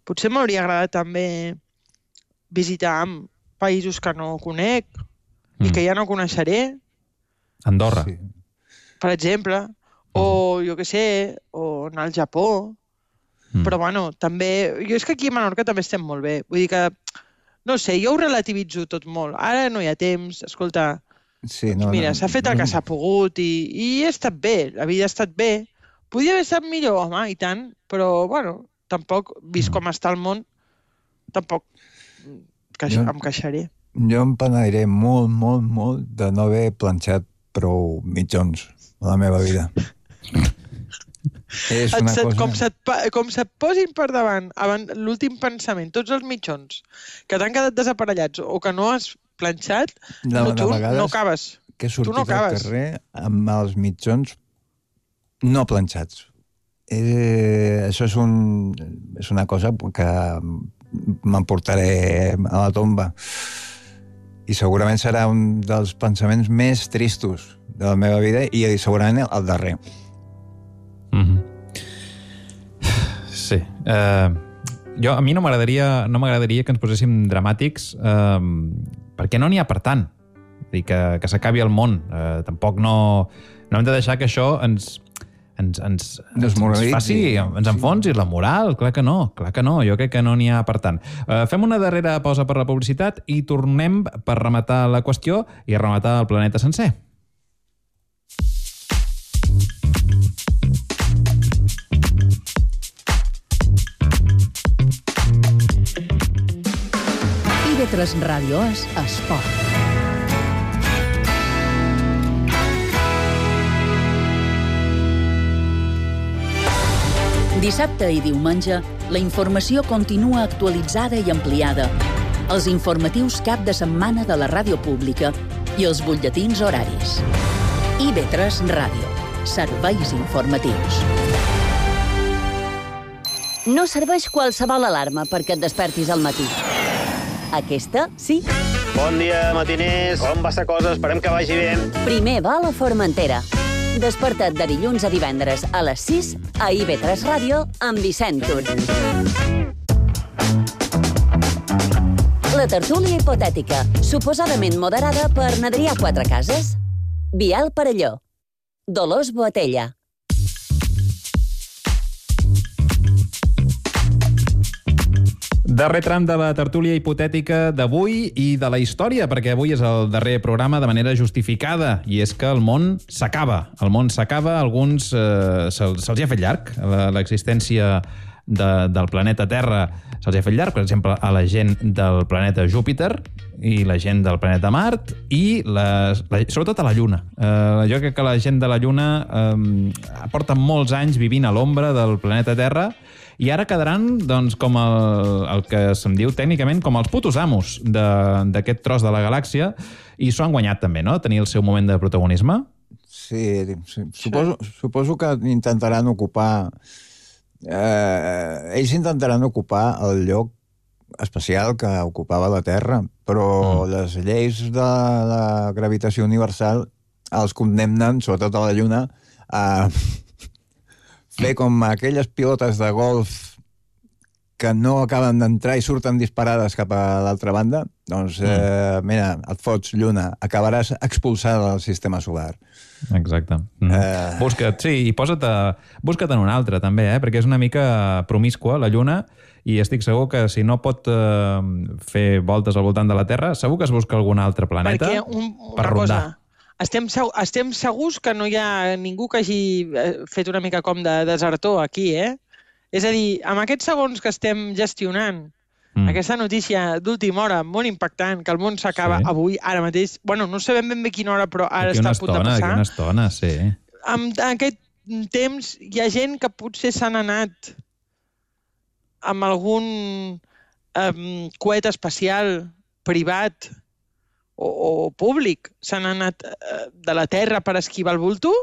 potser m'hauria agradat també visitar països que no conec mm. i que ja no coneixeré. Andorra. Sí. Per exemple, o jo què sé, o anar al Japó. Mm. Però, bueno, també... Jo és que aquí a Menorca també estem molt bé. Vull dir que, no sé, jo ho relativitzo tot molt. Ara no hi ha temps, escolta... Sí, no, mira, no, s'ha fet el que s'ha pogut i, i he estat bé, la vida ha estat bé. Podia haver estat millor, home, i tant, però, bueno, tampoc, vist com està el món, tampoc queix jo, em queixaré. Jo em penediré molt, molt, molt de no haver planxat prou mitjons a la meva vida. És una et, cosa... Com se't, com se't posin per davant l'últim pensament, tots els mitjons que t'han quedat desaparellats o que no has planxat, de, no, tu de no acabes. Que he sortit no al carrer amb els mitjons no planxats. Eh, això és, un, és una cosa que m'emportaré a la tomba. I segurament serà un dels pensaments més tristos de la meva vida i segurament el darrer. Mm-hmm. Sí. Uh, jo, a mi no m'agradaria no m'agradaria que ens poséssim dramàtics uh, perquè no n'hi ha per tant. Vull dir que, que s'acabi el món. Uh, tampoc no, no hem de deixar que això ens, ens, ens, ens, ens faci, ens enfonsi la moral. Clar que no, clar que no. Jo crec que no n'hi ha per tant. Uh, fem una darrera pausa per la publicitat i tornem per rematar la qüestió i rematar el planeta sencer. I V tres Ràdio és esport. Dissabte i diumenge, la informació continua actualitzada i ampliada. Els informatius cap de setmana de la ràdio pública i els butlletins horaris. I V tres Ràdio. Serveis informatius. No serveix qualsevol alarma perquè et despertis al matí. Aquesta, sí. Bon dia, matiners. Com va esta cosa? Esperem que vagi bé. Primer vol a Formentera. Desperta't de dilluns a divendres a les sis a I V tres Ràdio amb Vicent Tur. La tertúlia hipotètica, suposadament moderada per Adrià Quatrecases. Biel Parelló. Dolors Boatella. Darrer tram de la tertúlia hipotètica d'avui i de la història, perquè avui és el darrer programa de manera justificada, i és que el món s'acaba. El món s'acaba, alguns eh, se'ls se ha fet llarg, l'existència de, del planeta Terra se'ls ha fet llarg, per exemple, a la gent del planeta Júpiter i la gent del planeta Mart i les, la, sobretot a la Lluna. Eh, jo crec que la gent de la Lluna eh, porta molts anys vivint a l'ombra del planeta Terra i ara quedaran, doncs, com el, el que se'm diu tècnicament com els putos amos d'aquest tros de la galàxia, i s'ho han guanyat també, no?, tenir el seu moment de protagonisme. Sí, sí. Suposo, suposo que intentaran ocupar... Eh, ells intentaran ocupar el lloc especial que ocupava la Terra, però mm. les lleis de la gravitació universal els condemnen, sobretot a la Lluna, a fer com aquelles pilotes de golf que no acaben d'entrar i surten disparades cap a l'altra banda. Doncs, mm. eh, mira, et fots, Lluna, acabaràs expulsada del sistema solar. Exacte. Mm. Eh... Busca't, sí, i posa't, a, busca't en un altre, també, eh? Perquè és una mica promiscua, la Lluna, i estic segur que si no pot eh, fer voltes al voltant de la Terra, segur que es busca algun altre planeta Perquè un, per una rondar. Cosa, estem, estem segurs que no hi ha ningú que hagi fet una mica com de desertor aquí, eh? És a dir, amb aquests segons que estem gestionant, mm. aquesta notícia d'última hora, molt impactant, que el món s'acaba sí. avui, ara mateix, bueno, no sabem ben bé quina hora, però ara aquí està a punt estona, de passar. Aquí una estona, sí. En, en aquest temps hi ha gent que potser s'han anat amb algun um, coet espacial privat o, o públic, s'han anat uh, de la Terra per esquivar el bulto?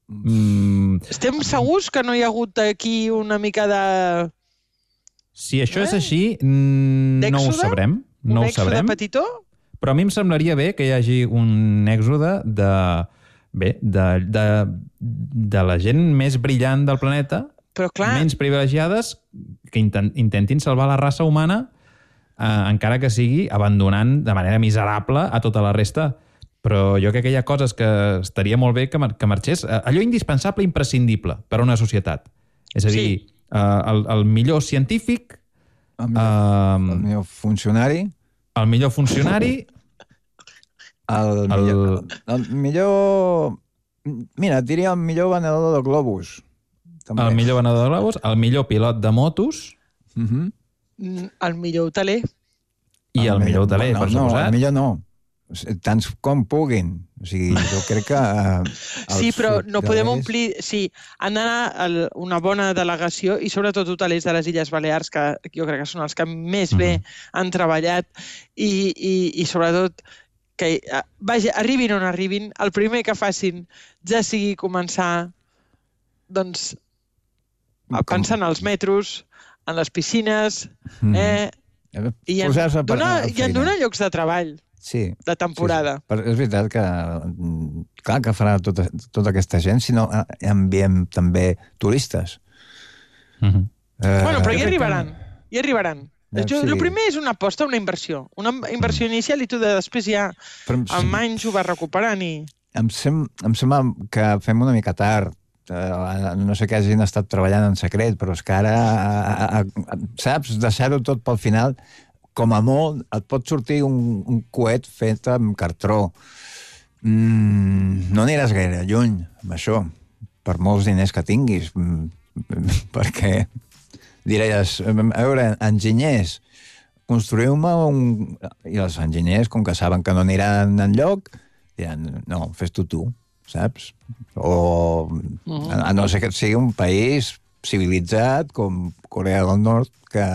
Mm. Estem segurs que no hi ha hagut aquí una mica de... Si això eh? és així, mm, no ho sabrem. No un ho sabrem. petitó? Però a mi em semblaria bé que hi hagi un èxode de, bé, de, de, de la gent més brillant del planeta, però clar, menys privilegiades, que intent, intentin salvar la raça humana, eh, encara que sigui abandonant de manera miserable a tota la resta. Però jo crec que hi ha coses que estaria molt bé que, mar que marxés. Allò indispensable, imprescindible per a una societat. És a dir, sí. uh, el, el millor científic... El millor, uh, el millor funcionari... El millor funcionari... el, el, millor, el millor... Mira, et diria el millor venedor de globus. També. El millor venedor de globus, el millor pilot de motos... Uh -huh. El millor hoteler. I el, el millor hoteler, no, per no, suposat. El millor no. Tants com puguin. O sigui, jo crec que... Uh, sí, però no podem omplir... Sí, han d'anar una bona delegació i sobretot hotelers de les Illes Balears, que jo crec que són els que més bé han treballat i, i, i sobretot que vaja, arribin on arribin, el primer que facin ja sigui començar doncs a pensar en els metros, en les piscines, eh, mm. i en donar, i en donar llocs de treball. Sí, de temporada. Sí, sí. Però és veritat que, clar que farà tota, tota aquesta gent si no enviem també turistes. Uh-huh. eh, bueno, però hi arribaran. Hi arribaran. El sí. primer és una aposta, una inversió. Una inversió inicial i tu de després ja però, amb anys ho vas recuperant i... Em, sem em sembla que fem una mica tard no sé que hagin estat treballant en secret, però és que ara, a, a, saps, deixar-ho tot pel final, com a molt, et pot sortir un, un coet fet amb cartró. Mm, no aniràs gaire lluny amb això, per molts diners que tinguis, perquè diries, a veure, enginyers, construïu-me un... I els enginyers, com que saben que no aniran enlloc, diran, no, fes-ho tu, saps? O a no ser que sigui un país civilitzat com Corea del Nord, que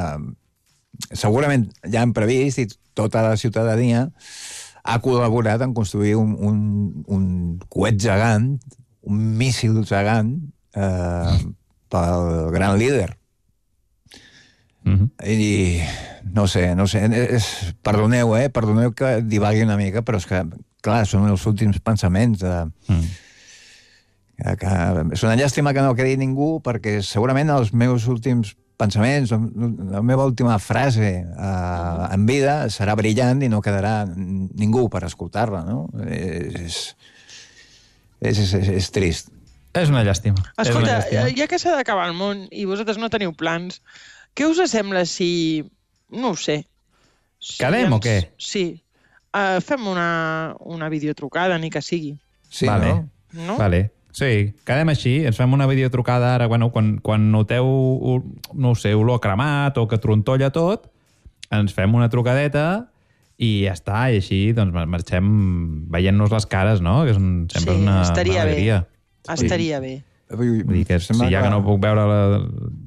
segurament ja han previst i tota la ciutadania ha col·laborat en construir un, un, un coet gegant, un míssil gegant, eh, pel gran líder. Mm-hmm. I no sé, no sé, és, perdoneu, eh? Perdoneu que divagui una mica, però és que, clar, són els últims pensaments de... Mm. Que, que, és una llàstima que no quedi ningú, perquè segurament els meus últims pensaments, la meva última frase eh, en vida serà brillant i no quedarà ningú per escoltar-la, no? És, és, és, és, és trist. És una llàstima. Escolta, una llàstima. Ja que s'ha d'acabar el món i vosaltres no teniu plans, què us sembla si... No ho sé. Si Quedem ens... o què? Sí. Uh, fem una, una videotrucada, ni que sigui. Sí, vale. no? no? Vale. Sí, quedem així, ens fem una videotrucada ara, bueno, quan, quan noteu, no ho sé, olor cremat o que trontolla tot, ens fem una trucadeta i ja està, i així doncs marxem veient-nos les cares, no? Que és un, sempre sí, una, estaria una alegria. Bé. Estaria bé. Vull dir que si ja que no puc veure la,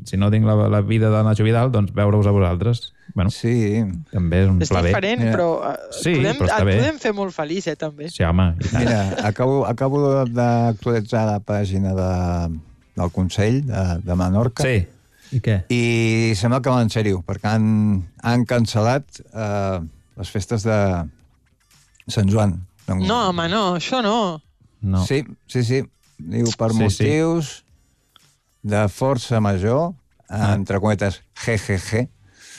si no tinc la, la vida de Nacho Vidal, doncs veure-us a vosaltres. Bueno, sí. També és un és pla bé. És diferent, però, sí, podem, però et bé. podem fer molt feliç, eh, també. Sí, home. Mira, acabo, acabo d'actualitzar la pàgina de, del Consell de, de Menorca. Sí. I què? I sembla que va en sèrio, perquè han, han cancel·lat eh, les festes de Sant Joan. No, home, no, això no. no. Sí, sí, sí. Diu, per sí, motius sí. de força major, ah. entre cometes, G G G,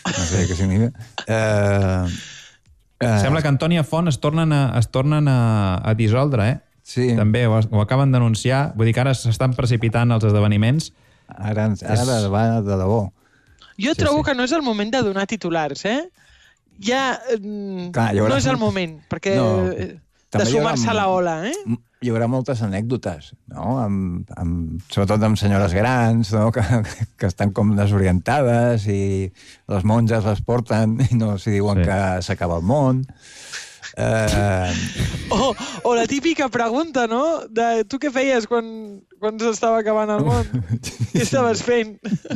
no sé què significa. Uh, uh, Sembla que Antònia Font es tornen a, es tornen a, a dissoldre, eh? Sí. També ho, ho acaben d'anunciar. Vull dir que ara s'estan precipitant els esdeveniments. Ara, ara és... va de debò. Jo sí, trobo sí. que no és el moment de donar titulars, eh? Ja Clar, haurà... no és el moment, perquè no, de sumar-se a la ola, eh? Hi haurà moltes anècdotes, no? Amb, amb, sobretot amb senyores grans, no? que, que estan com desorientades i les monges les porten i no s'hi diuen sí. que s'acaba el món. Uh... O, o la típica pregunta, no? De tu què feies quan, quan s'estava acabant el món? Què estaves fent?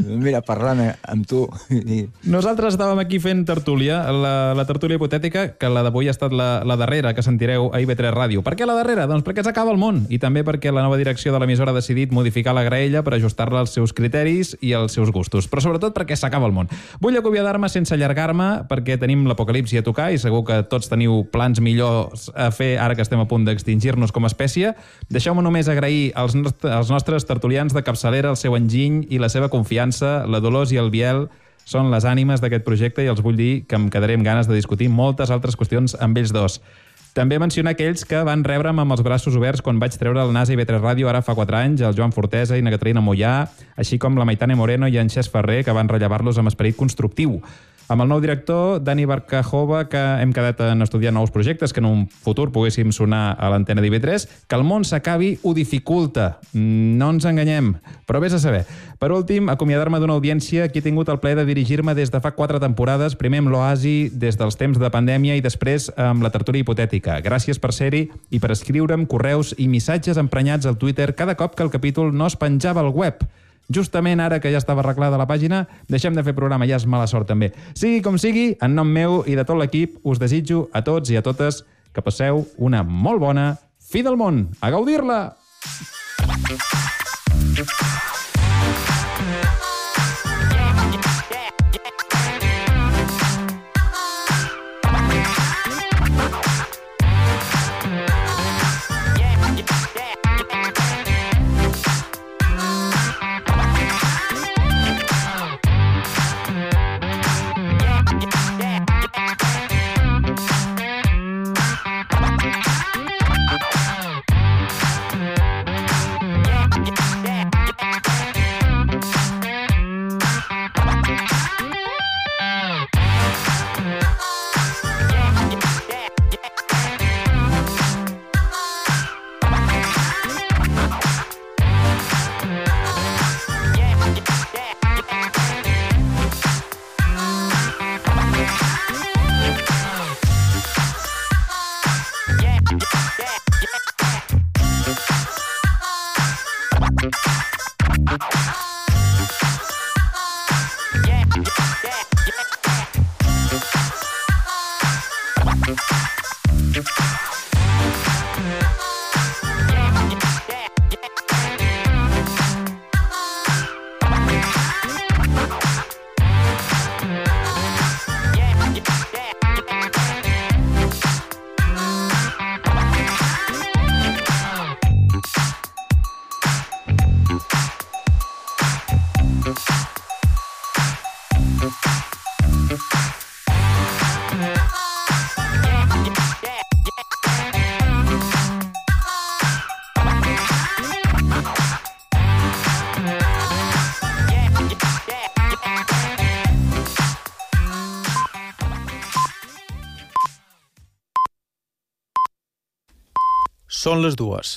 Mira, parlant amb tu. I... Nosaltres estàvem aquí fent tertúlia, la, la tertúlia hipotètica, que la d'avui ha estat la, la darrera que sentireu a I V tres Ràdio. Per què la darrera? Doncs perquè s'acaba el món i també perquè la nova direcció de l'emissora ha decidit modificar la graella per ajustar-la als seus criteris i als seus gustos, però sobretot perquè s'acaba el món. Vull acomiadar-me sense allargar-me perquè tenim l'apocalipsi a tocar i segur que tots teniu plans millors a fer ara que estem a punt d'extingir-nos com a espècie. Deixeu-me només agrair als, nostres, als nostres tertulians de capçalera el seu enginy i la seva confiança. La Dolors i el Biel són les ànimes d'aquest projecte i els vull dir que em quedaré amb ganes de discutir moltes altres qüestions amb ells dos. També mencionar aquells que van rebre'm amb els braços oberts quan vaig treure el nas a I V tres Ràdio ara fa quatre anys, el Joan Fortesa i na Caterina Mollà, així com la Maitane Moreno i en Xes Ferrer, que van rellevar-los amb esperit constructiu. Amb el nou director, Dani Barcajova, que hem quedat en estudiar nous projectes que en un futur poguéssim sonar a l'antena d'I V tres, que el món s'acabi ho dificulta. No ens enganyem, però vés a saber. Per últim, acomiadar-me d'una audiència que he tingut el plaer de dirigir-me des de fa quatre temporades, primer amb l'Oasi des dels temps de pandèmia i després amb la tertúlia hipotètica. Gràcies per ser-hi i per escriure'm correus i missatges emprenyats al Twitter cada cop que el capítol no es penjava al web. Justament ara que ja estava arreglada la pàgina, deixem de fer programa, ja és mala sort també. Sigui com sigui, en nom meu i de tot l'equip, us desitjo a tots i a totes que passeu una molt bona fi del món. A gaudir-la! Són les dues.